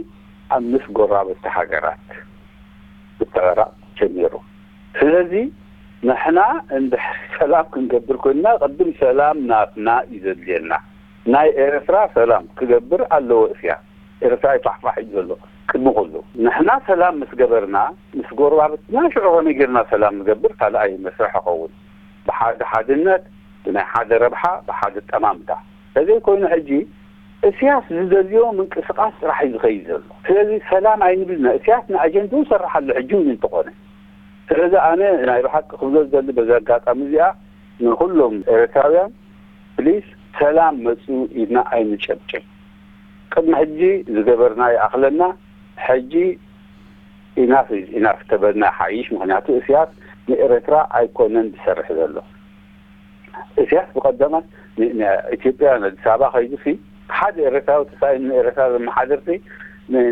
ኣብ ምስ ጎራበቲ ሃገራት ክተዕራቕ ጀሚሩ። ስለዚ ንሕና እንድሕር ሰላም ክንገብር ኮይንና ቅድም ሰላም ናትና እዩ ዘድልየና። ናይ ኤርትራ ሰላም ክገብር ኣለዎ። እስያ ኤርትራ ይፋሕፋሕ እዩ ዘሎ። ቅድሚ ኩሉ ንሕና ሰላም ምስ ገበርና፣ ምስ ጎረባብትና ሽዑ ከመይ ጌርና ሰላም ንገብር ካልኣይ መስርሕ ይኸውን። ብሓደ ሓድነት፣ ብናይ ሓደ ረብሓ፣ ብሓደ ጠማምታ። ተዘይኮይኑ ሕጂ እስያስ ዝደልዮ ምንቅስቃስ ጥራሕ እዩ ዝኸይድ ዘሎ። ስለዚ ሰላም ኣይንብልና። እስያስ ንኣጀንድኡ ይሰርሕ ኣሎ ሕጂ እውን እንተኾነ። ስለዚ ኣነ ናይ ብሓቂ ክብሎ ዝደሊ በዚ ኣጋጣሚ እዚኣ ንኹሎም ኤርትራውያን ፕሊስ ሰላም መጽኡ ኢድና ኣይንጨብጭብ። ቅድሚ ሕጂ ዝገበርና ይኣኽለና። ሕጂ ኢናፍ ኢናፍ ተበልና ሓይሽ። ምክንያቱ እስያስ ንኤርትራ ኣይኮነን ዝሰርሕ ዘሎ። እስያስ ብቐደማት ንኢትዮጵያ ኣዲስ ኣበባ ከይዱ ሲ ሓደ ኤርትራዊ ተሳኢኑ ንኤርትራ ዘመሓደር ሲ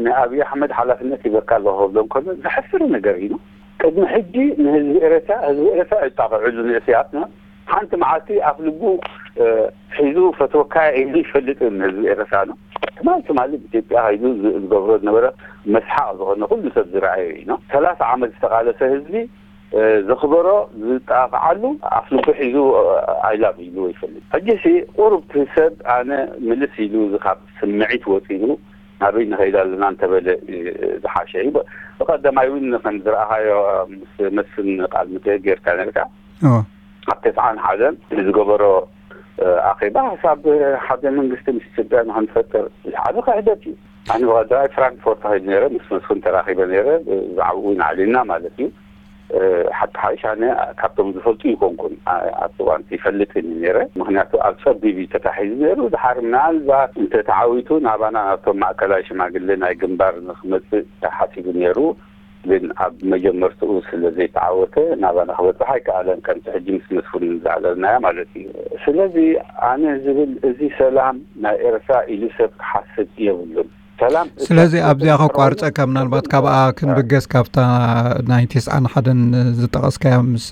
ንኣብይ ኣሕመድ ሓላፍነት ይበካ ኣለኹ ክብሎ እንከሎ ዘሕፍር ነገር እዩ። ቅድሚ ሕጂ ንህዝቢ ኤረትራ ህዝቢ ኤረትራ ይጣቕዕሉ ንእስያስ ነው። ሓንቲ መዓልቲ ኣፍ ልቡ ሒዙ ፈትወካ ኢሉ ይፈልጥ ንህዝቢ ኤረትራ ነው። ትማል ትማል ኢትዮጵያ ኸይዱ ዝገብሮ ዝነበረ መስሓቕ ዝኾነ ኩሉ ሰብ ዝረኣየ እዩ ነው። ሰላሳ ዓመት ዝተቓለሰ ህዝቢ ዘኽበሮ ዝጣቕዓሉ ኣፍ ልቡ ሒዙ ኣይላብ ኢሉ ይፈልጥ። ሕጂ ሲ ቁሩብ ሰብ ኣነ ምልስ ኢሉ ካብ ስምዒት ወፂኡ ናበይ ንኸይድ ኣለና እንተበለ ዝሓሸ እዩ። ብቐዳማይ እውን ከም ዝረኣኻዮ ምስ መስፍን ቃል ምትእት ጌርካ ነርካ ኣብ ተስዓን ሓደን ዝገበሮ ኣኼባ ሓሳብ ሓደ መንግስቲ ምስ ኢትዮጵያ ንክንፈጥር ዝሓደ ክሕደት እዩ። ኣነ ብቐዳማይ ፍራንክፎርት ተኸይድ ነረ ምስ መስፍን ተራኺበ ነረ ብዛዕባኡ እውን ኣዕሊልና ማለት እዩ። ሓቂ ሓይሽ ኣነ ካብቶም ዝፈልጡ ይኮንኩን ኣብቲ እዋን ይፈልጥ ነረ። ምክንያቱ ኣብ ፀቢብ እዩ ተታሒዙ ነሩ። ድሓር ምናልባት እንተተዓዊቱ ናባና ናብቶም ማእከላይ ሽማግሌ ናይ ግንባር ንክመፅእ ተሓሲቡ ነሩ። ግን ኣብ መጀመርትኡ ስለ ዘይተዓወተ ናባና ክበፅሕ ኣይከኣለን። ከምቲ ሕጂ ምስ መስፍን ዝኣለልናያ ማለት እዩ። ስለዚ ኣነ ዝብል እዚ ሰላም ናይ ኤርትራ ኢሉ ሰብ ክሓስብ የብሉን። ሰላም ስለዚ ኣብዚኣ ከቋርፀካ ምናልባት ካብኣ ክንብገስ ካብታ ናይ ተስዓን ሓደን ዝጠቐስካያ ምስ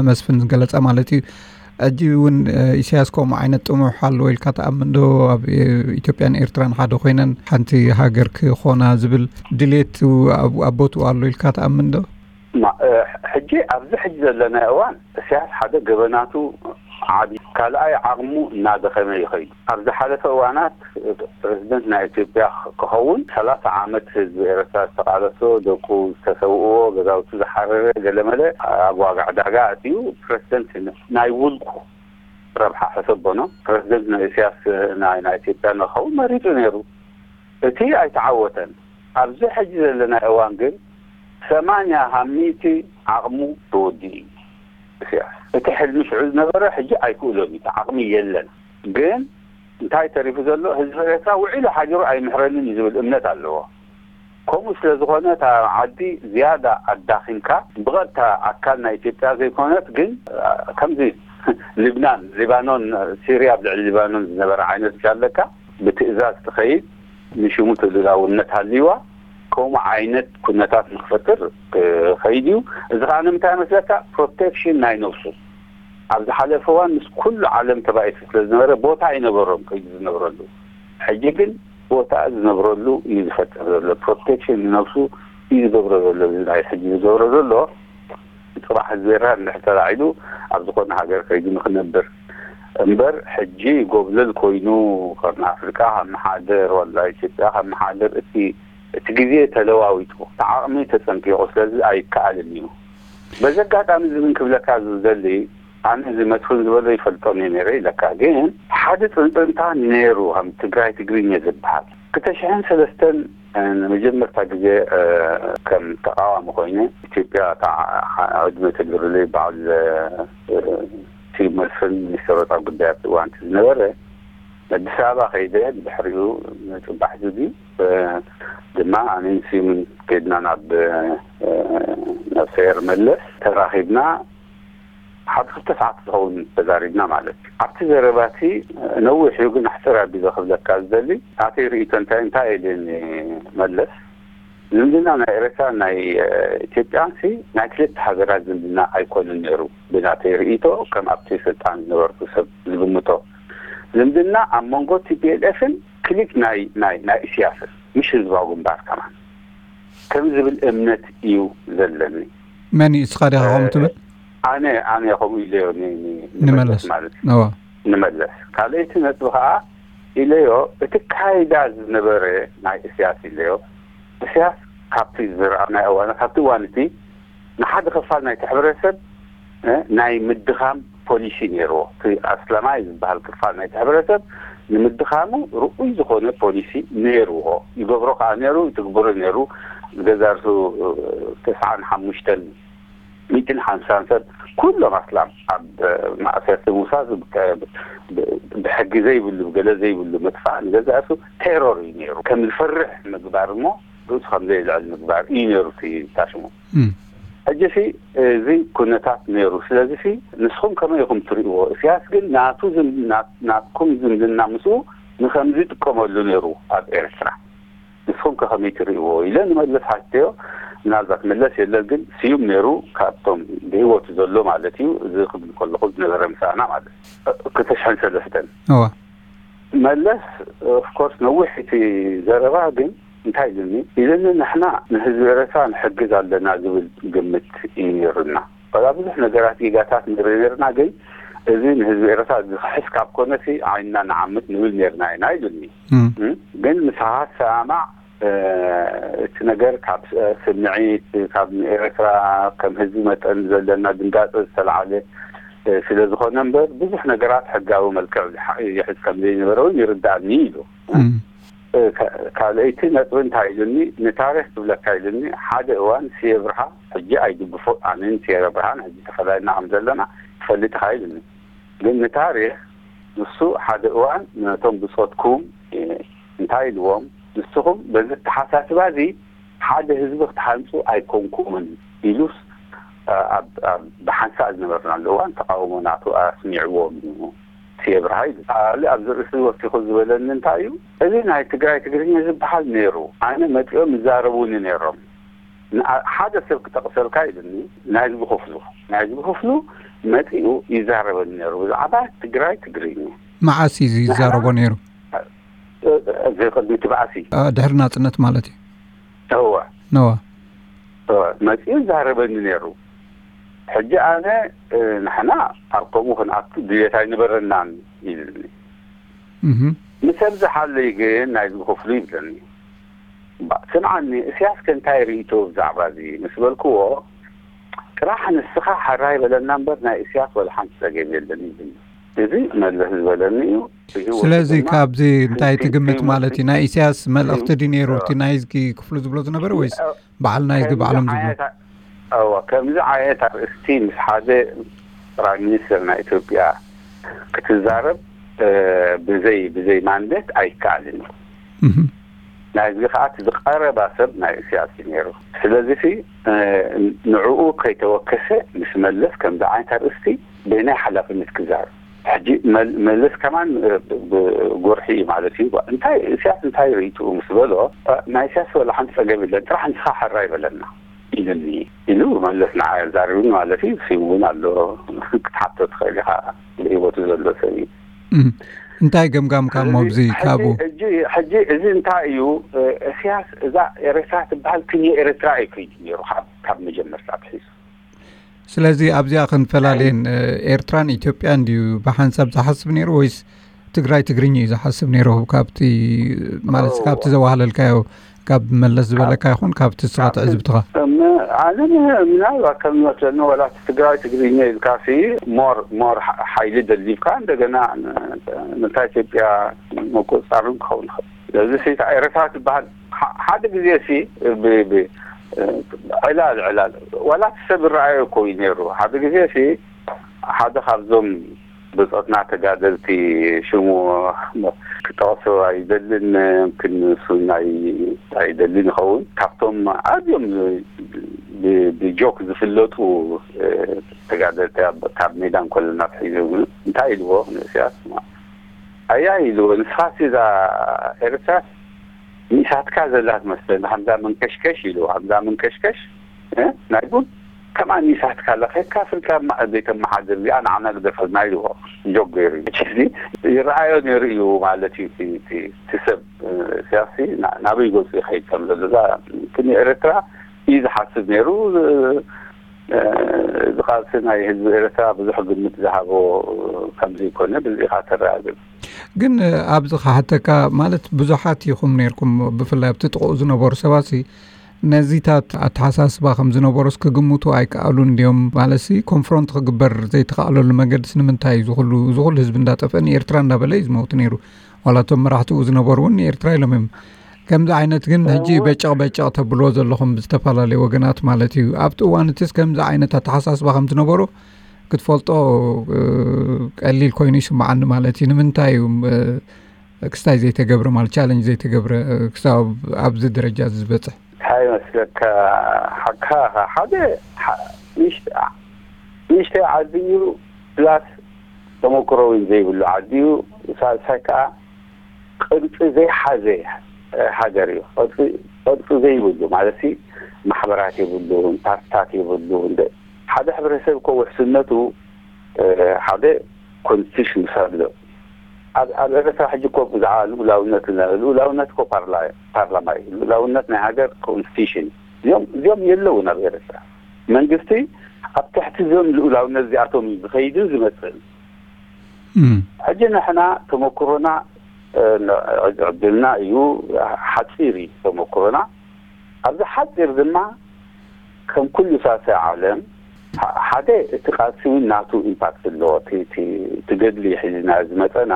መስፍን ዝገለፀ ማለት እዩ። ሕጂ እውን ኢሳያስ ከምኡ ዓይነት ጥሙሕ ኣለዎ ኢልካ ትኣምን ዶ? ኣብ ኢትዮጵያን ኤርትራን ሓደ ኮይነን ሓንቲ ሃገር ክኾና ዝብል ድሌት ኣብ ቦትኡ ኣሎ ኢልካ ትኣምን ዶ? ሕጂ ኣብዚ ሕጂ ዘለና እዋን ኢሳያስ ሓደ ገበናቱ ዓቢ ካልኣይ ዓቕሙ እናደኸመ ይኸይድ። ኣብ ዝሓለፈ እዋናት ፕረዚደንት ናይ ኢትዮጵያ ክኸውን ሰላሳ ዓመት ህዝቢ ኤረትራ ዝተቓለሶ፣ ደቁ ዝተሰውእዎ፣ ገዛውቱ ዝሓረረ፣ ገለመለ ኣብ ዋጋ ዕዳጋ ኣትዩ ፕረዚደንት ናይ ውልቁ ረብሓ ሕሰቦ ነው። ፕረዚደንት ናይ ኢሳያስ ናይ ናይ ኢትዮጵያ ንክኸውን መሪጹ ነይሩ። እቲ ኣይተዓወተን። ኣብዚ ሕጂ ዘለና እዋን ግን ሰማንያ ካብ ሚእቲ ዓቕሙ ተወዲኡ እዩ ኢሳያስ። እቲ ሕልሚ ሽዑ ዝነበረ ሕጂ ኣይክእሎን እዩ። እቲ ዓቕሚ የለን። ግን እንታይ ተሪፉ ዘሎ ህዝቢ ኤርትራ ውዒሉ ሓዲሩ ኣይምሕረንን እዩ ዝብል እምነት ኣለዎ። ከምኡ ስለ ዝኾነ እታ ዓዲ ዝያዳ ኣዳኺምካ ብቐጥታ ኣካል ናይ ኢትዮጵያ ዘይኮነት ግን ከምዚ ልብናን ሊባኖን ሲርያ ኣብ ልዕሊ ሊባኖን ዝነበረ ዓይነት ኣለካ ብትእዛዝ ትኸይድ ንሽሙ ተልእላውነት ሃልይዋ ከምኡ ዓይነት ኩነታት ንክፈጥር ክኸይድ እዩ። እዚ ከዓ ንምንታይ መስለካ ፕሮቴክሽን ናይ ነብሱ ኣብ ዝሓለፈ እዋን ምስ ኩሉ ዓለም ተባኢሱ ስለ ዝነበረ ቦታ ኣይነበሮም ከይዱ ዝነብረሉ። ሕጂ ግን ቦታ ዝነብረሉ እዩ ዝፈጥር ዘሎ። ፕሮቴክሽን ንነብሱ እዩ ዝገብሮ ዘሎ። እዚ ናይ ሕጂ ዝገብሮ ዘሎ ፅባሕ ህዝቢ ኤርትራ እንድሕር ተላዒሉ ኣብ ዝኾነ ሃገር ከይዱ ንክነብር እምበር ሕጂ ጎብለል ኮይኑ ቀርኒ ኣፍሪቃ ካብ መሓደር ዋላ ኢትዮጵያ ካብ መሓደር እቲ እቲ ግዜ ተለዋዊጡ እቲ ዓቕሚ ተፀንቂቑ ስለዚ ኣይከኣልን እዩ። በዚ ኣጋጣሚ እዚ ግን ክብለካ ዝደሊ ኣነ እዚ መስፍን ዝበሎ ይፈልጦን እየ ነይረ ኢለካ ግን ሓደ ፅንፅንታ ነይሩ ከም ትግራይ ትግርኛ ዝበሃል ክልተ ሽሕን ሰለስተን ንመጀመርታ ግዜ ከም ተቃዋሚ ኮይነ ኢትዮጵያ ዕድመ ተግብርለይ በዓል ስዩም መስፍን ሚኒስትር ወፃኢ ጉዳያት እዋንቲ ዝነበረ ኣዲስ ኣበባ ከይደ ድሕሪኡ ንፅባሕ ዝብዩ ድማ ኣነን ስዩምን ከይድና ናብ ናብ ሰየር መለስ ተራኺብና ሓደ ክልተ ሰዓት ዝኸውን ተዛሪብና ማለት እዩ። ኣብቲ ዘረባቲ ነዊሕ እዩ ግን ኣሕፅር ኣቢለ ክብለካ ዝደሊ ናተይ ርእይቶ እንታይ እንታይ ኢልን መለስ ዝምድና ናይ ኤረትራ ናይ ኢትዮጵያን ሲ ናይ ክልተ ሃገራት ዝምድና ኣይኮነን ነይሩ ብናተይ ርእይቶ ከም ኣብቲ ስልጣን ዝነበርኩ ሰብ ዝግምቶ ዝምድና ኣብ መንጎ ቲ ፒ ኤል ኤፍን ክሊክ ናይ ናይ ናይ ኢስያስን ምሽ ህዝባዊ ግንባር ከማን ከም ዝብል እምነት እዩ ዘለኒ። መን እዩ እስኻ ዲኻ ከምኡ ትብል? ኣነ ኣነ ከምኡ ኢለዮ ንመለስ ማለት እዩ። ንመለስ ካልኣይቲ ነጥቢ ከዓ ኢለዮ እቲ ካይዳ ዝነበረ ናይ እስያስ ኢለዮ እስያስ ካብቲ ዝረኣናዮ እዋን፣ ካብቲ እዋን እቲ ንሓደ ክፋል ናይቲ ሕብረተሰብ፣ እ፣ ናይ ምድኻም ፖሊሲ ነይርዎ። እቲ ኣስላማይ ዝበሃል ክፋል ናይቲ ሕብረተሰብ ንምድኻሙ ርኡይ ዝኾነ ፖሊሲ ነይርዎ። ይገብሮ ከኣ ነይሩ፣ ይትግብሮ ነይሩ። ገዛ ርእሱ፣ እ፣ ተስዓን ሓሙሽተን ሚእትን ሓምሳን ሰብ ኩሎም ኣስላም ኣብ ማእሰርቲ ምውሳድ፣ ብ-፣ ብ-፣ ብሕጊ ዘይብሉ፣ ብገለ ዘይብሉ ምጥፋእ፣ ንገዛእ ርእሱ ቴሮር እዩ ነይሩ። ከም ዝፈርሕ ምግባር እሞ ርእሱ ከም ዘይልዕል ምግባር እዩ ነይሩ እቲ ታሽሙ። እም። ሕጂ ሲ እዚ ኩነታት ነይሩ። ስለዚ ሲ ንስኹም ከመይ ኢኹም ትርእይዎ? እስያስ ግን ናቱ ዝም-፣ ናት-፣ ናትኩም ዝምድና ምስኡ ንኸምዚ ይጥቀመሉ ነይሩ ኣብ ኤርትራ። ንስኹም ከ ከመይ ትርእይዎ? ኢለ ንመለስ ሓትዮ። ምናልባት መለስ የለን፣ ግን ስዩም ነይሩ፣ ካብቶም ብህይወቱ ዘሎ ማለት እዩ። እዚ ክብል ከለኹ ዝነበረ ምሳና ማለት እዩ። ክልተ ሽሕን ሰለስተን። እዋ። መለስ፣ ኦፍኮርስ፣ ነዊሕ እቲ ዘረባ፣ ግን እንታይ ኢሉኒ? ኢሉኒ፣ ንሕና ንህዝቢ ኤረትራ ንሕግዝ ኣለና ዝብል ግምት እዩ ነይሩና። ዋላ ብዙሕ ነገራት ጌጋታት ንርኢ ነርና፣ ግን እዚ ንህዝቢ ኤረትራ ዝኽሕስ ካብ ኮነሲ ዓይንና ንዓምት ንብል ነርና ኢና ኢሉኒ። እም። እም? ግን ምሳኻ ትሰማማዕ፣ እ፣ እቲ ነገር ካብ ስ-፣ ስምዒት፣ ካብ ንኤረትራ ከም ህዝቢ መጠን ዘለና ድንጋጸ ዝተለዓለ፣ እ፣ ስለ ዝኾነ እምበር፣ ብዙሕ ነገራት ሕጋዊ መልክዕ ዝሓ-፣ ይሕዝ ከም ዘይነበረ እውን ይርዳእኒ ኢሉ። እም። እ፣ ካ-፣ ካልኣይቲ ነጥቢ እንታይ ኢሉኒ፣ ንታሪኽ ክብለካ ኢሉኒ፣ ሓደ እዋን ስየ ብርሃ፣ ሕጂ ኣይድግፎ፣ ኣነን ስየ ብርሃን ሕጂ ተፈላሊና ከም ዘለና ትፈልጥ ኢኻ ኢሉኒ። ግን ንታሪኽ ንሱ ሓደ እዋን ነቶም ብጾትኩም፣ እ፣ እንታይ ኢልዎም፣ ንስኹም በዚ ኣተሓሳስባ እዚ ሓደ ህዝቢ ክትሃንጹ ኣይኮንኩምን ኢሉስ፣ እ፣ ኣብ፣ ኣብ፣ ብሓንሳእ ዝነበርናሉ እዋን ተቃውሞ ናቱ ኣስሚዕዎም እዩ። ስየ ብርሃ ኢሉ። ካልእ ኣብዚ ርእሲ ወሲኹ ዝበለኒ እንታይ እዩ፣ እዚ ናይ ትግራይ ትግርኛ ዝበሃል ነይሩ። ኣነ መጺኦም ይዛረቡኒ ነይሮም። ንኣ-፣ ሓደ ሰብ ክጠቕሰልካ ኢሉኒ፣ ናይ ህዝቢ ክፍሉ። ናይ ህዝቢ ክፍሉ መጺኡ ይዛረበኒ ነይሩ ብዛዕባ ትግራይ ትግርኛ። መዓስ እዩ እዚ ይዛረቦ ንሕና ነይሩ? እ-፣ እ-፣ እዚ ቅድሚ እቲ ባእሲ። እ፣ ድሕሪ ናጽነት ማለት እዩ። እወ። ነዋ። እወ፣ መጺኡ ይዛረበኒ ነይሩ። ሕጂ ኣነ፣ እ፣ ንሕና ኣብ ከምኡ ክንኣቱ ድልየት ኣይነበረናን ኢሉኒ። እህ። ምስ ኣብዝሓለይ ግን ናይዚ ክፍሉ ይብለኒ። ባ-፣ ስምዓኒ፣ እስያስ ከ እንታይ ርእይቶ ብዛዕባ እዚ? ምስ በልክዎ፣ ጥራሕ ንስኻ ሕራይ በለና እምበር ናይ እስያስ ወላ ሓንቲ ጸገም የለን ይብለኒ። እዚ መለስ ዝበለኒ እዩ። ብህይወቱ ስለዚ ድማ ካብዚ እንታይ ትግምት ማለት እዩ? ናይ ኢሳያስ መልእኽቲ ድዩ ነይሩ እቲ ናይዝጊ ክፍሉ ዝብሎ ዝነበረ ወይስ እ፣ በዓል ናይዝጊ ከምዚ ባዕሎም ዝብሎ? ዓይነት ኣ-፣ እወ፣ ከምዚ ዓይነት ኣርእስቲ ምስ ሓደ ፕራይም ሚኒስተር ናይ ኢትዮጵያ ክትዛረብ፣ እ፣ ብዘይ፣ ብዘይ ማንዴት ኣይከኣልን እዩ። እህ። ናይዝጊ ከኣ እቲ ዝቐረባ ሰብ ናይ ኢሳያስ እዩ ነይሩ። ስለዚ ሲ፣ እ፣ ንዕኡ ከይተወከሰ ምስ መለስ ከምዚ ዓይነት ኣርእስቲ በየናይ ሓላፍነት ክዛረብ? ሕጂ መል-፣ መለስ ከማን፣ እ፣ ብ-፣ ብጎርሒ እዩ ማለት እዩ። እንታይ ኢሳያስ እንታይ ርእይትኡ ምስ በሎ፣ እ፣ ናይ ኢሳያስ ወላ ሓንቲ ጸገም የለን፣ ጥራሕ ንስኻ ሕራይ በለና ኢሉኒ ኢሉ መለስ ንዓይ ኣዛሪቡኒ ማለት እዩ። ስሙ እውን ኣሎ፣ ክትሓቶ ትኽእል ኢኻ፣ ብህይወቱ ዘሎ ሰብ እዩ። እም። እንታይ ገምጋምካ እሞ እዚ ኣብዚ ካብኡ? ሕጂ፣ ሕጂ፣ ሕጂ እዚ እንታይ እዩ፣ እ፣ ኢሳያስ እዛ ኤርትራ ትበሃል ክንዮ ኤርትራ እዩ ከይዱ ነይሩ ካብ፣ ካብ መጀመርታ ኣትሒዙ። ስለዚ ኣብዚኣ ክንፈላልየን፣ እ፣ ኤርትራን ኢትዮጵያን ድዩ ብሓንሳብ ዝሓስብ ነይሩ ወይስ ትግራይ ትግርኛ እዩ ዝሓስብ ነይሩ? ካብቲ፣ ማለት፣ ኦ። ካብቲ ዘዋህለልካዮ፣ ካብ መለስ ዝበለካ ይኹን ካብቲ ስኻ ትዕዝብትኻ? እም፣ ኣነ ም-፣ ምናልባት ከም ዝመስለኒ ዋላ እቲ ትግራይ ትግርኛ ኢልካ ሲ ሞር፣ ሞር ሓ-፣ ሓይሊ ደሊብካ እንደገና ን-፣ ነታ ኢትዮጵያ ምቁፅፃርን ክኸውን ይኽእል። ስለዚ ሲ እታ ኤርትራ ትበሃል ሓ-፣ ሓደ ግዜ ሲ ብ-፣ ብ-፣ ዕላል፣ ዕላል ዋላ እቲ ሰብ ይረኣዮ እኮ እዩ ነይሩ። ሓደ ግዜ ሲ ሓደ ካብዞም ብጾትና ተጋደልቲ ሽሙ ክጠቕሶ ኣይደልን፣ ክንሱ ናይ ኣይደልን ይኸውን። ካብቶም ኣዝዮም ብ-፣ ብጆክ ዝፍለጡ፣ እ፣ ተጋደልቲ ኣብ፣ ካብ ሜዳ እንከለና ኣትሒዞም እንታይ ኢልዎ ንእስያስ? ኣያ ኢልዎ፣ ንስኻሲ እዛ ኤርትራስ ንኢሳትካ ዘላ ትመስለኒ፣ ከምዛ መንከሽከሽ ኢልዎ፣ ከምዛ መንከሽከሽ፣ እ፣ ናይ ቡን ከማን ንኢሳትካ ኣላ፣ ከይድካ ኣፍሪቃ ማ-፣ ዘይተመሓድር እዚኣ ንዓና ግደፈልና ኢልዎ፣ ጆክ ገይሩ። ሕጂ ይረኣዮ ነይሩ እዩ ማለት እዩ፣ እቲ፣ እቲ፣ እቲ ሰብ፣ እ፣ ኢሳያስሲ ና-፣ ናበይ ገጹ ይኸይድ ከም ዘሎ። እዛ፣ እቲ ንኤርትራ እዩ ዝሓስብ ነይሩ፣ እ፣ እዚ ቃልሲ ናይ ህዝቢ ኤርትራ ብዙሕ ግምት ዝሃቦ ከም ዘይኮነ በዚ ኢኻ ተረጋግጽ። ግን ኣብዚ ክሓተካ፣ ማለት ብዙሓት ኢኹም ነርኩም፣ ብፍላይ ኣብቲ ጥቕኡ ዝነበሩ ሰባሲ ነዚታት ኣተሓሳስባ ከም ዝነበሩስ ክግምቱ ኣይከኣሉን ድዮም? ማለትሲ ኮንፍሮንት ክግበር ዘይተኻእለሉ መገድስ ንምንታይ እዩ? ዝኹሉ ዝኹሉ ህዝቢ እንዳጠፍአ ንኤርትራ እንዳበለ እዩ ዝመውት ነይሩ። ዋላ እቶም መራሕትኡ ዝነበሩ እውን ንኤርትራ ኢሎም እዮም። ከምዚ ዓይነት ግን ሕጂ በጨቕ በጨቕ ተብልዎ ዘለኹም ብዝተፈላለዩ ወገናት ማለት እዩ። ኣብቲ እዋን እቲስ ከምዚ ዓይነት ኣተሓሳስባ ከም ዝነበሩ ክትፈልጦ ቀሊል ኮይኑ ይስምዓኒ ማለት እዩ። ንምንታይ እዩ ክስታይ ዘይተገብረ፣ ማለት ቻለንጅ ዘይተገብረ ክሳብ ኣብዚ ደረጃ ዝበፅሕ? እንታይ መስለካ? ሓካ ሓደ ንእሽተይ ዓዲ እዩ፣ ፕላስ ተመክሮ እውን ዘይብሉ ዓዲ እዩ። ሳልሳይ ከዓ ቅርፂ ዘይሓዘ ሃገር እዩ። ቅርፂ ዘይብሉ ማለት ማሕበራት የብሉን፣ ፓርትታት የብሉን። ሓደ ሕብረተሰብ እኮ ውሕስነቱ ሓደ ኮንስቲቱሽን ምስ ኣሎ፣ ኣብ ኤርትራ ሕጂ እኮ ብዛዕባ ልኡላውነት፣ ልኡላውነት እኮ ፓርላማ እዩ። ልኡላውነት ናይ ሃገር ኮንስቲቱሽን እዚኦም እዚኦም የለውን ኣብ ኤርትራ። መንግስቲ ኣብ ትሕቲ እዚኦም ልኡላውነት እዚኣቶም እዩ ዝኸይድን ዝመፅእን። ሕጂ ንሕና ተመክሮና ዕድልና እዩ፣ ሓፂር እዩ ተመክሮና። ኣብዚ ሓፂር ድማ ከም ኩሉ ሳልሳይ ዓለም ሓደ እቲ ቃልሲ እውን ናቱ ኢምፓክት ኣለዎ። እቲ ገድሊ ሒዝና ዝመፀና፣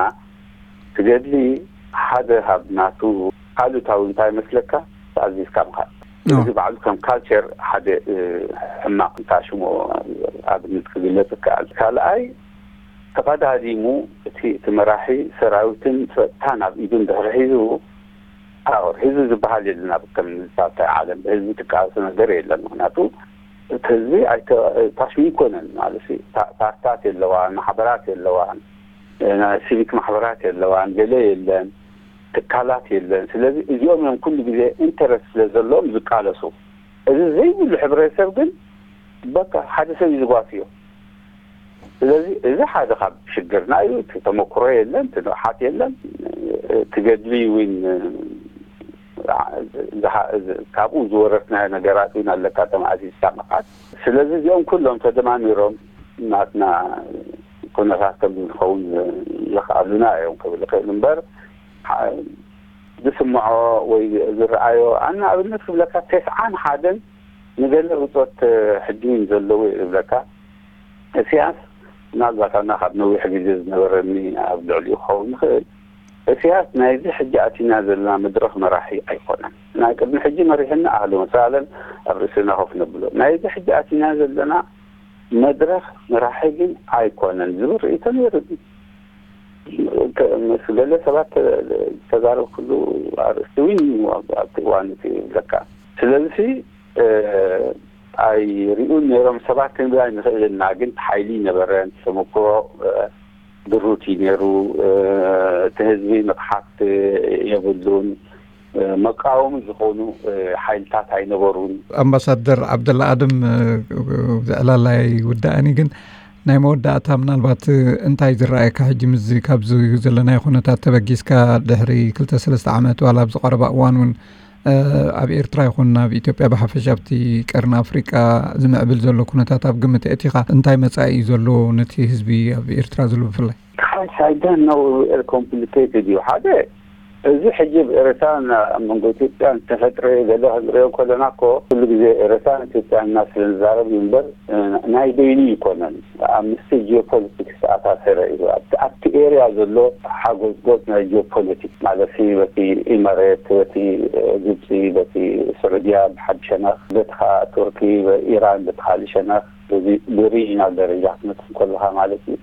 እቲ ገድሊ ሓደ ካብ ናቱ ኣሉታዊ እንታይ መስለካ? ኣዚዝካ ምኻድ። እዚ ባዕሉ ከም ካልቸር ሓደ ሕማቕ እንታ ሽሞ ኣብነት ክግለጽ ይከኣል። ካልኣይ፣ ተቐዳዲሙ እቲ እቲ መራሒ ሰራዊትን ጸጥታን ኣብ ኢዱ እንድሕር ሒዙ፣ ፓወር ሒዙ ዝበሃል የለን። ኣብ ከም ሳልሳይ ዓለም ብህዝቢ ትቃለስ ነገር የለን። ምክንያቱ እቲ ህዝቢ ኣይተ-፣ ፓሽን ይኮነን ማለት እዩ። ፓ-፣ ፓርትታት የለዋን፣ ማሕበራት የለዋን፣ ናይ ሲቪክ ማሕበራት የለዋን፣ ገለ የለን፣ ትካላት የለን። ስለዚ እዚኦም እዮም ኩሉ ግዜ ኢንተረስት ስለ ዘለዎም ዝቃለሱ። እዚ ዘይብሉ ሕብረተሰብ ግን በቃ ሓደ ሰብ እዩ ዝጓስዮ። ስለዚ እዚ ሓደ ካብ ሽግርና እዩ። እቲ ተመክሮ የለን፣ እቲ ንቕሓት የለን፣ እቲ ገድሊ እውን ዝሓ-፣ ካብኡ ዝወረስናዮ ነገራት እውን ኣለካ፣ ተማእዚዝካ ምኻድ። ስለዚ እዚኦም ኩሎም ተደማሚሮም ናትና ኩነታት ከም ዝኸውን ዘኽኣሉና እዮም ክብል ይኽእል እምበር፣ ሓ-፣ ዝስምዖ ወይ ዝረኣዮ፣ ኣነ ኣብነት ክብለካ፣ ተስዓን ሓደን ንገለ ብጾት ሕጂ እውን ዘለዉ እየ ዝብለካ። እስያስ ምናልባት ኣና ካብ ነዊሕ ግዜ ዝነበረኒ ኣብ ልዕሊኡ ክኸውን ይኽእል። እስያስ ናይዚ ሕጂ ኣቲና ዘለና መድረኽ መራሒ ኣይኮነን። ናይ ቅድሚ ሕጂ መሪሕና ኣህለ ወሳለን ኣብ ርእስና ኮፍ ነብሎ። ናይዚ ሕጂ ኣቲና ዘለና መድረኽ መራሒ ግን ኣይኮነን ዝብል ርእይቶ ነይሩኒ። ከ-፣ ምስ ገለ ሰባት ተ-፣ ተዛረብኩሉ ኣርእስቲ እውን ኣብቲ እዋን እቲ ይብለካ። ስለዚ እ፣ ኣይሪኡን ነይሮም ሰባት ክንብል ኣይንኽእልን ኢና፣ ግን ሓይሊ ነበረን። ተመክሮ፣ እ፣ ድሩት እዩ ነይሩ። እ፣ እቲ ህዝቢ ንቕሓት የብሉን። እ፣ መቃወሚ ዝኾኑ፣ እ፣ ሓይልታት ኣይነበሩን። ኣምባሳደር ዓብደላ ኣደም፣ እ፣ ዕላል ኣይውዳእን እዩ፣ ግን ናይ መወዳእታ ምናልባት፣ እ፣ እንታይ ዝረኣየካ ሕጂ ምስዚ ካብዚ ዘለናዮ ኩነታት ተበጊስካ ድሕሪ ክልተ ሰለስተ ዓመት ዋላ ኣብዚ ቀረባ እዋን እውን እ፣ ኣብ ኤርትራ ይኹን ኣብ ኢትዮጵያ ብሓፈሻ ኣብቲ ቀርኒ ኣፍሪቃ ዝምዕብል ዘሎ ኩነታት ኣብ ግምት ኣእቲኻ እንታይ መጻኢ እዩ ዘሎ ነቲ ህዝቢ ኣብ ኤርትራ ዘሎ ብፍላይ? Gosh, I don't know, complicated እዩ። ሓደ፣ እዚ ሕጂ ኣብ ኤርትራን ኣብ መንጎ ኢትዮጵያን ዝተፈጥረ ገለ ክንሪኦ ከለና እኮ ኩሉ ግዜ ኤርትራን ኢትዮጵያን እና ስለ ንዛረብ እዩ እምበር፣ እ፣ ናይ በይኑ ይኮነን። ኣብ ምስቲ ጂኦፖለቲክስ ዝተኣሳሰረ እዩ። ኣብቲ፣ ኣብቲ ኤርያ ዘሎ ሓጎዝጎዝ ናይ ጂኦፖለቲክስ ማለት ሲ፣ በቲ ኢመሬት፣ በቲ፣ እ፣ ግብፂ፣ በቲ ስዑድያ ብሓዲ ሸነኽ፣ በቲ ኸዓ ቱርኪ፣ ኢራን በቲ ካልእ ሸነኽ፣ እዚ ብሪጂናል ደረጃ ክትመፅእ ከለኻ ማለት እዩ።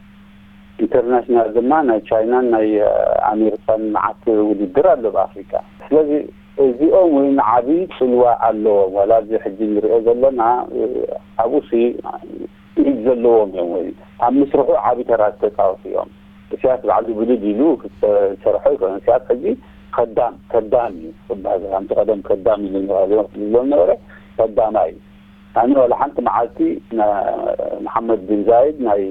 ኢንተርናሽናል ድማ ናይ ቻይናን ናይ፣ እ፣ ኣሜሪካን መዓት ውድድር ኣሎ ብኣፍሪካ። ስለዚ እዚኦም እውን ዓብዪ ፅልዋ ኣለዎም። ዋላ እዚ ሕጂ ንሪኦ ዘለና፣ እ፣ ኣብኡ ሲ ኢድ ዘለዎም እዮም ወይ ኣብ ምስርሑ ዓቢ ተራ ዝተጻወቱ እዮም። እስያስ ባዕሉ ብድድ ኢሉ ክሰርሖ ይኽእል። እስያስ ሕጂ ከዳም፣ ከዳም እዩ ክበሃል። ከምቲ ቀደም ከዳም ኢሉ ንባህልዮም ዝብሎም ነበረ፣ ከዳማይ እዩ። ኣነ ዋላ ሓንቲ መዓልቲ ና-፣ መሓመድ ቢን ዛይድ ናይ፣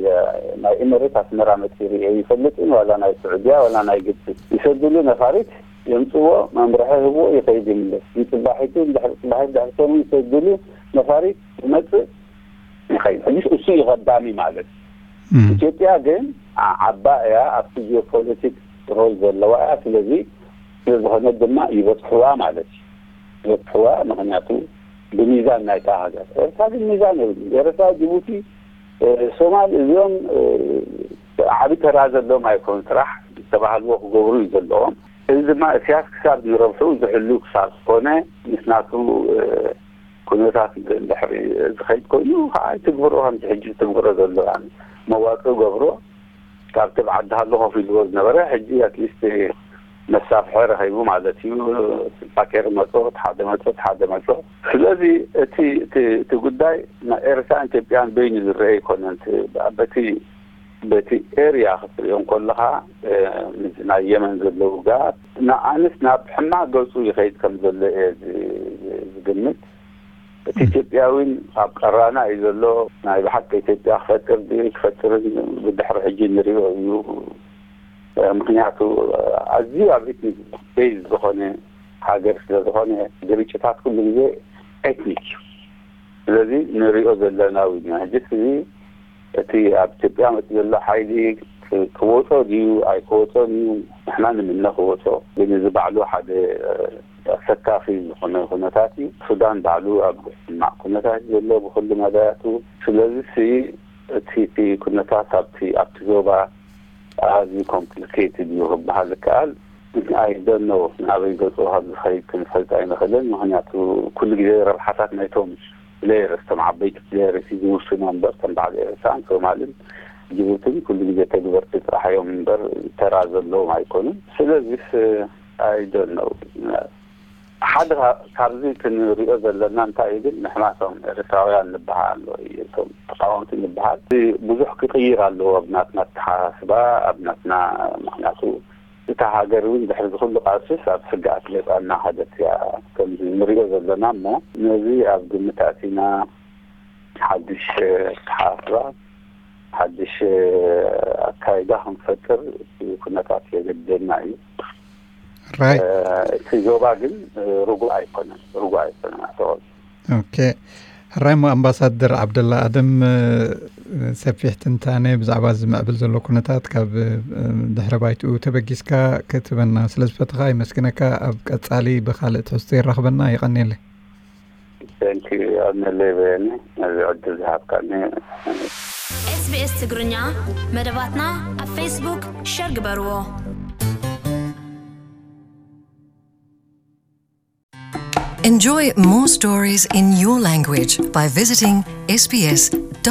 ናይ ኢመሬት ኣስመራ መጺኡ ርእየ ይፈልጥን፣ ዋላ ናይ ስዑድያ፣ ዋላ ናይ ግብጺ። ይሰድሉ ነፋሪት፣ የምጽዎ፣ መምርሒ ህብዎ፣ ይኸይድ ይምለስ። ንጽባሒቱ፣ እንድሕሪ ጽባሒት፣ ድሕሪ ሰሙን ይሰድሉ ነፋሪት፣ ይመጽእ፣ ይኸይድ። ሕጂስ እሱ እዩ ቀዳሚ ማለት። እም። ኢትዮጵያ ግን ዓ-፣ ዓባ እያ፣ ኣብቲ ጂኦፖለቲክስ ሮል ዘለዋ እያ። ስለዚ ስለዝኾነ ድማ ይበፅሕዋ ማለት እዩ። ይበፅሕዋ ምክንያቱ ብሚዛን ናይታ ሃገር። ኤርትራ ግን ሚዛን የብሉ። ኤርትራ፣ ጅቡቲ፣ ሶማል እዚኦም ዓቢ ተራ ዘለዎም ኣይኮኑ። ስራሕ ዝተባህልዎ ክገብሩ እዩ ዘለዎም። እዚ ድማ እስያስ ክሳብ ዝረብሑ ዝሕሉ ክሳብ ዝኾነ ምስ ናቱ ኩነታት ድሕሪ ዝኸይድ ኮይኑ ከዓ ኣይትግብሮ። ከምዚ ሕጂ ዝትግብሮ ዘሎ መዋፅእ ገብሮ ካብቲ ብዓዲ ሃሎ ኮፍ ኢልዎ ዝነበረ ሕጂ ኣትሊስት መሳፍሐ ረኺቡ ማለት እዩ። ፓኬር መጾ ሓደ መጾ ሓደ መጾ። ስለዚ እቲ እቲ እቲ ጉዳይ ናይ ኤርትራን ኢትዮጵያን በይኑ ዝረአ ኣይኮነን። በቲ በቲ ኤርያ ክትሪኦ እንከለኻ ምስ ናይ የመን ዘሎ ውግኣት ንኣንስ ናብ ሕማቕ ገጹ ይኸይድ ከም ዘሎ እየ ዝግምት። እቲ ኢትዮጵያዊን ኣብ ቀራና እዩ ዘሎ። ናይ ብሓቂ ኢትዮጵያ ክፈጥር ድዩ ክፈጥርን ብድሕሪ ሕጂ ንሪኦ እዩ። ምክንያቱ ኣዝዩ ኣብ ኤትኒክ ቤዝ ዝኾነ ሃገር ስለ ዝኾነ ግርጭታት ኩሉ ግዜ ኤትኒክ እዩ። ስለዚ ንሪኦ ዘለና እውን እዩ። ሕጂ እዚ እቲ ኣብ ኢትዮጵያ መፂ ዘሎ ሓይሊ ክወፆ ድዩ ኣይክወፆን እዩ። ንሕና ንምነ ክወፆ፣ ግን እዚ ባዕሉ ሓደ ኣሰካፊ ዝኾነ ኩነታት እዩ። ሱዳን ባዕሉ ኣብ ሕማቕ ኩነታት እዩ ዘሎ ብኩሉ መዳያቱ። ስለዚ ሲ እቲ እቲ ኩነታት ኣብቲ ኣብቲ ዞባ ኣዝዩ ኮምፕሊኬትድ እዩ ክበሃል ይከኣል። ኣይደኖ ናበይ ገፁ ካብ ዝኸይድ ክንፈልጥ ኣይንኽእልን። ምክንያቱ ኩሉ ግዜ ረብሓታት ናይቶም ፕሌየርስ፣ እቶም ዓበይቲ ፕሌየርስ እዩ ዝውስኖ እምበር፣ ከም በዓል ኤርትራን ሶማልን ጅቡትን ኩሉ ግዜ ተግበርቲ ጥራሕ እዮም እምበር ተራ ዘለዎም ኣይኮኑን። ስለዚስ ኣይደኖ ሓደ ካብዚ ክንሪኦ ዘለና እንታይ እዩ ግን ንሕና እቶም ኤርትራውያን ንበሃል ወይ እቶም ተቃወምቲ ንበሃል ብዙሕ ክቅይር ኣለዎ ኣብ ናትና ኣተሓሳስባ፣ ኣብ ናትና ምክንያቱ እታ ሃገር እውን ድሕሪ ዝኩሉ ቃልስስ ኣብ ስግኣት ገጻ እናኸደት እያ ከምዚ ንሪኦ ዘለና። እሞ ነዚ ኣብ ግምት ኣእቲና ሓድሽ ኣተሓሳስባ ሓድሽ ኣካይዳ ክንፈጥር እቲ ኩነታት የገድደና እዩ። ራይ እቲ ዞባ ግን ርጉእ ኣይኮነን፣ ርጉእ ኣይኮነን ኣተወል ኦኬ። ሕራይ እሞ ኣምባሳደር ዓብደላ ኣደም ሰፊሕ ትንታነ ብዛዕባ እዚ ምዕብል ዘሎ ኩነታት ካብ ድሕረ ባይትኡ ተበጊስካ ክትበና ስለ ዝፈትኻ ይመስግነካ። ኣብ ቀጻሊ ብካልእ ትሕዝቶ ይራኽበና። ይቐንየለይ። ንለይ በየነ ነዚ ዕድል ዝሃብካኒ። SBS ትግርኛ መደባትና ኣብ ፌስቡክ ሸር ግበርዎ። Enjoy more stories in your language by visiting sbs.com.au.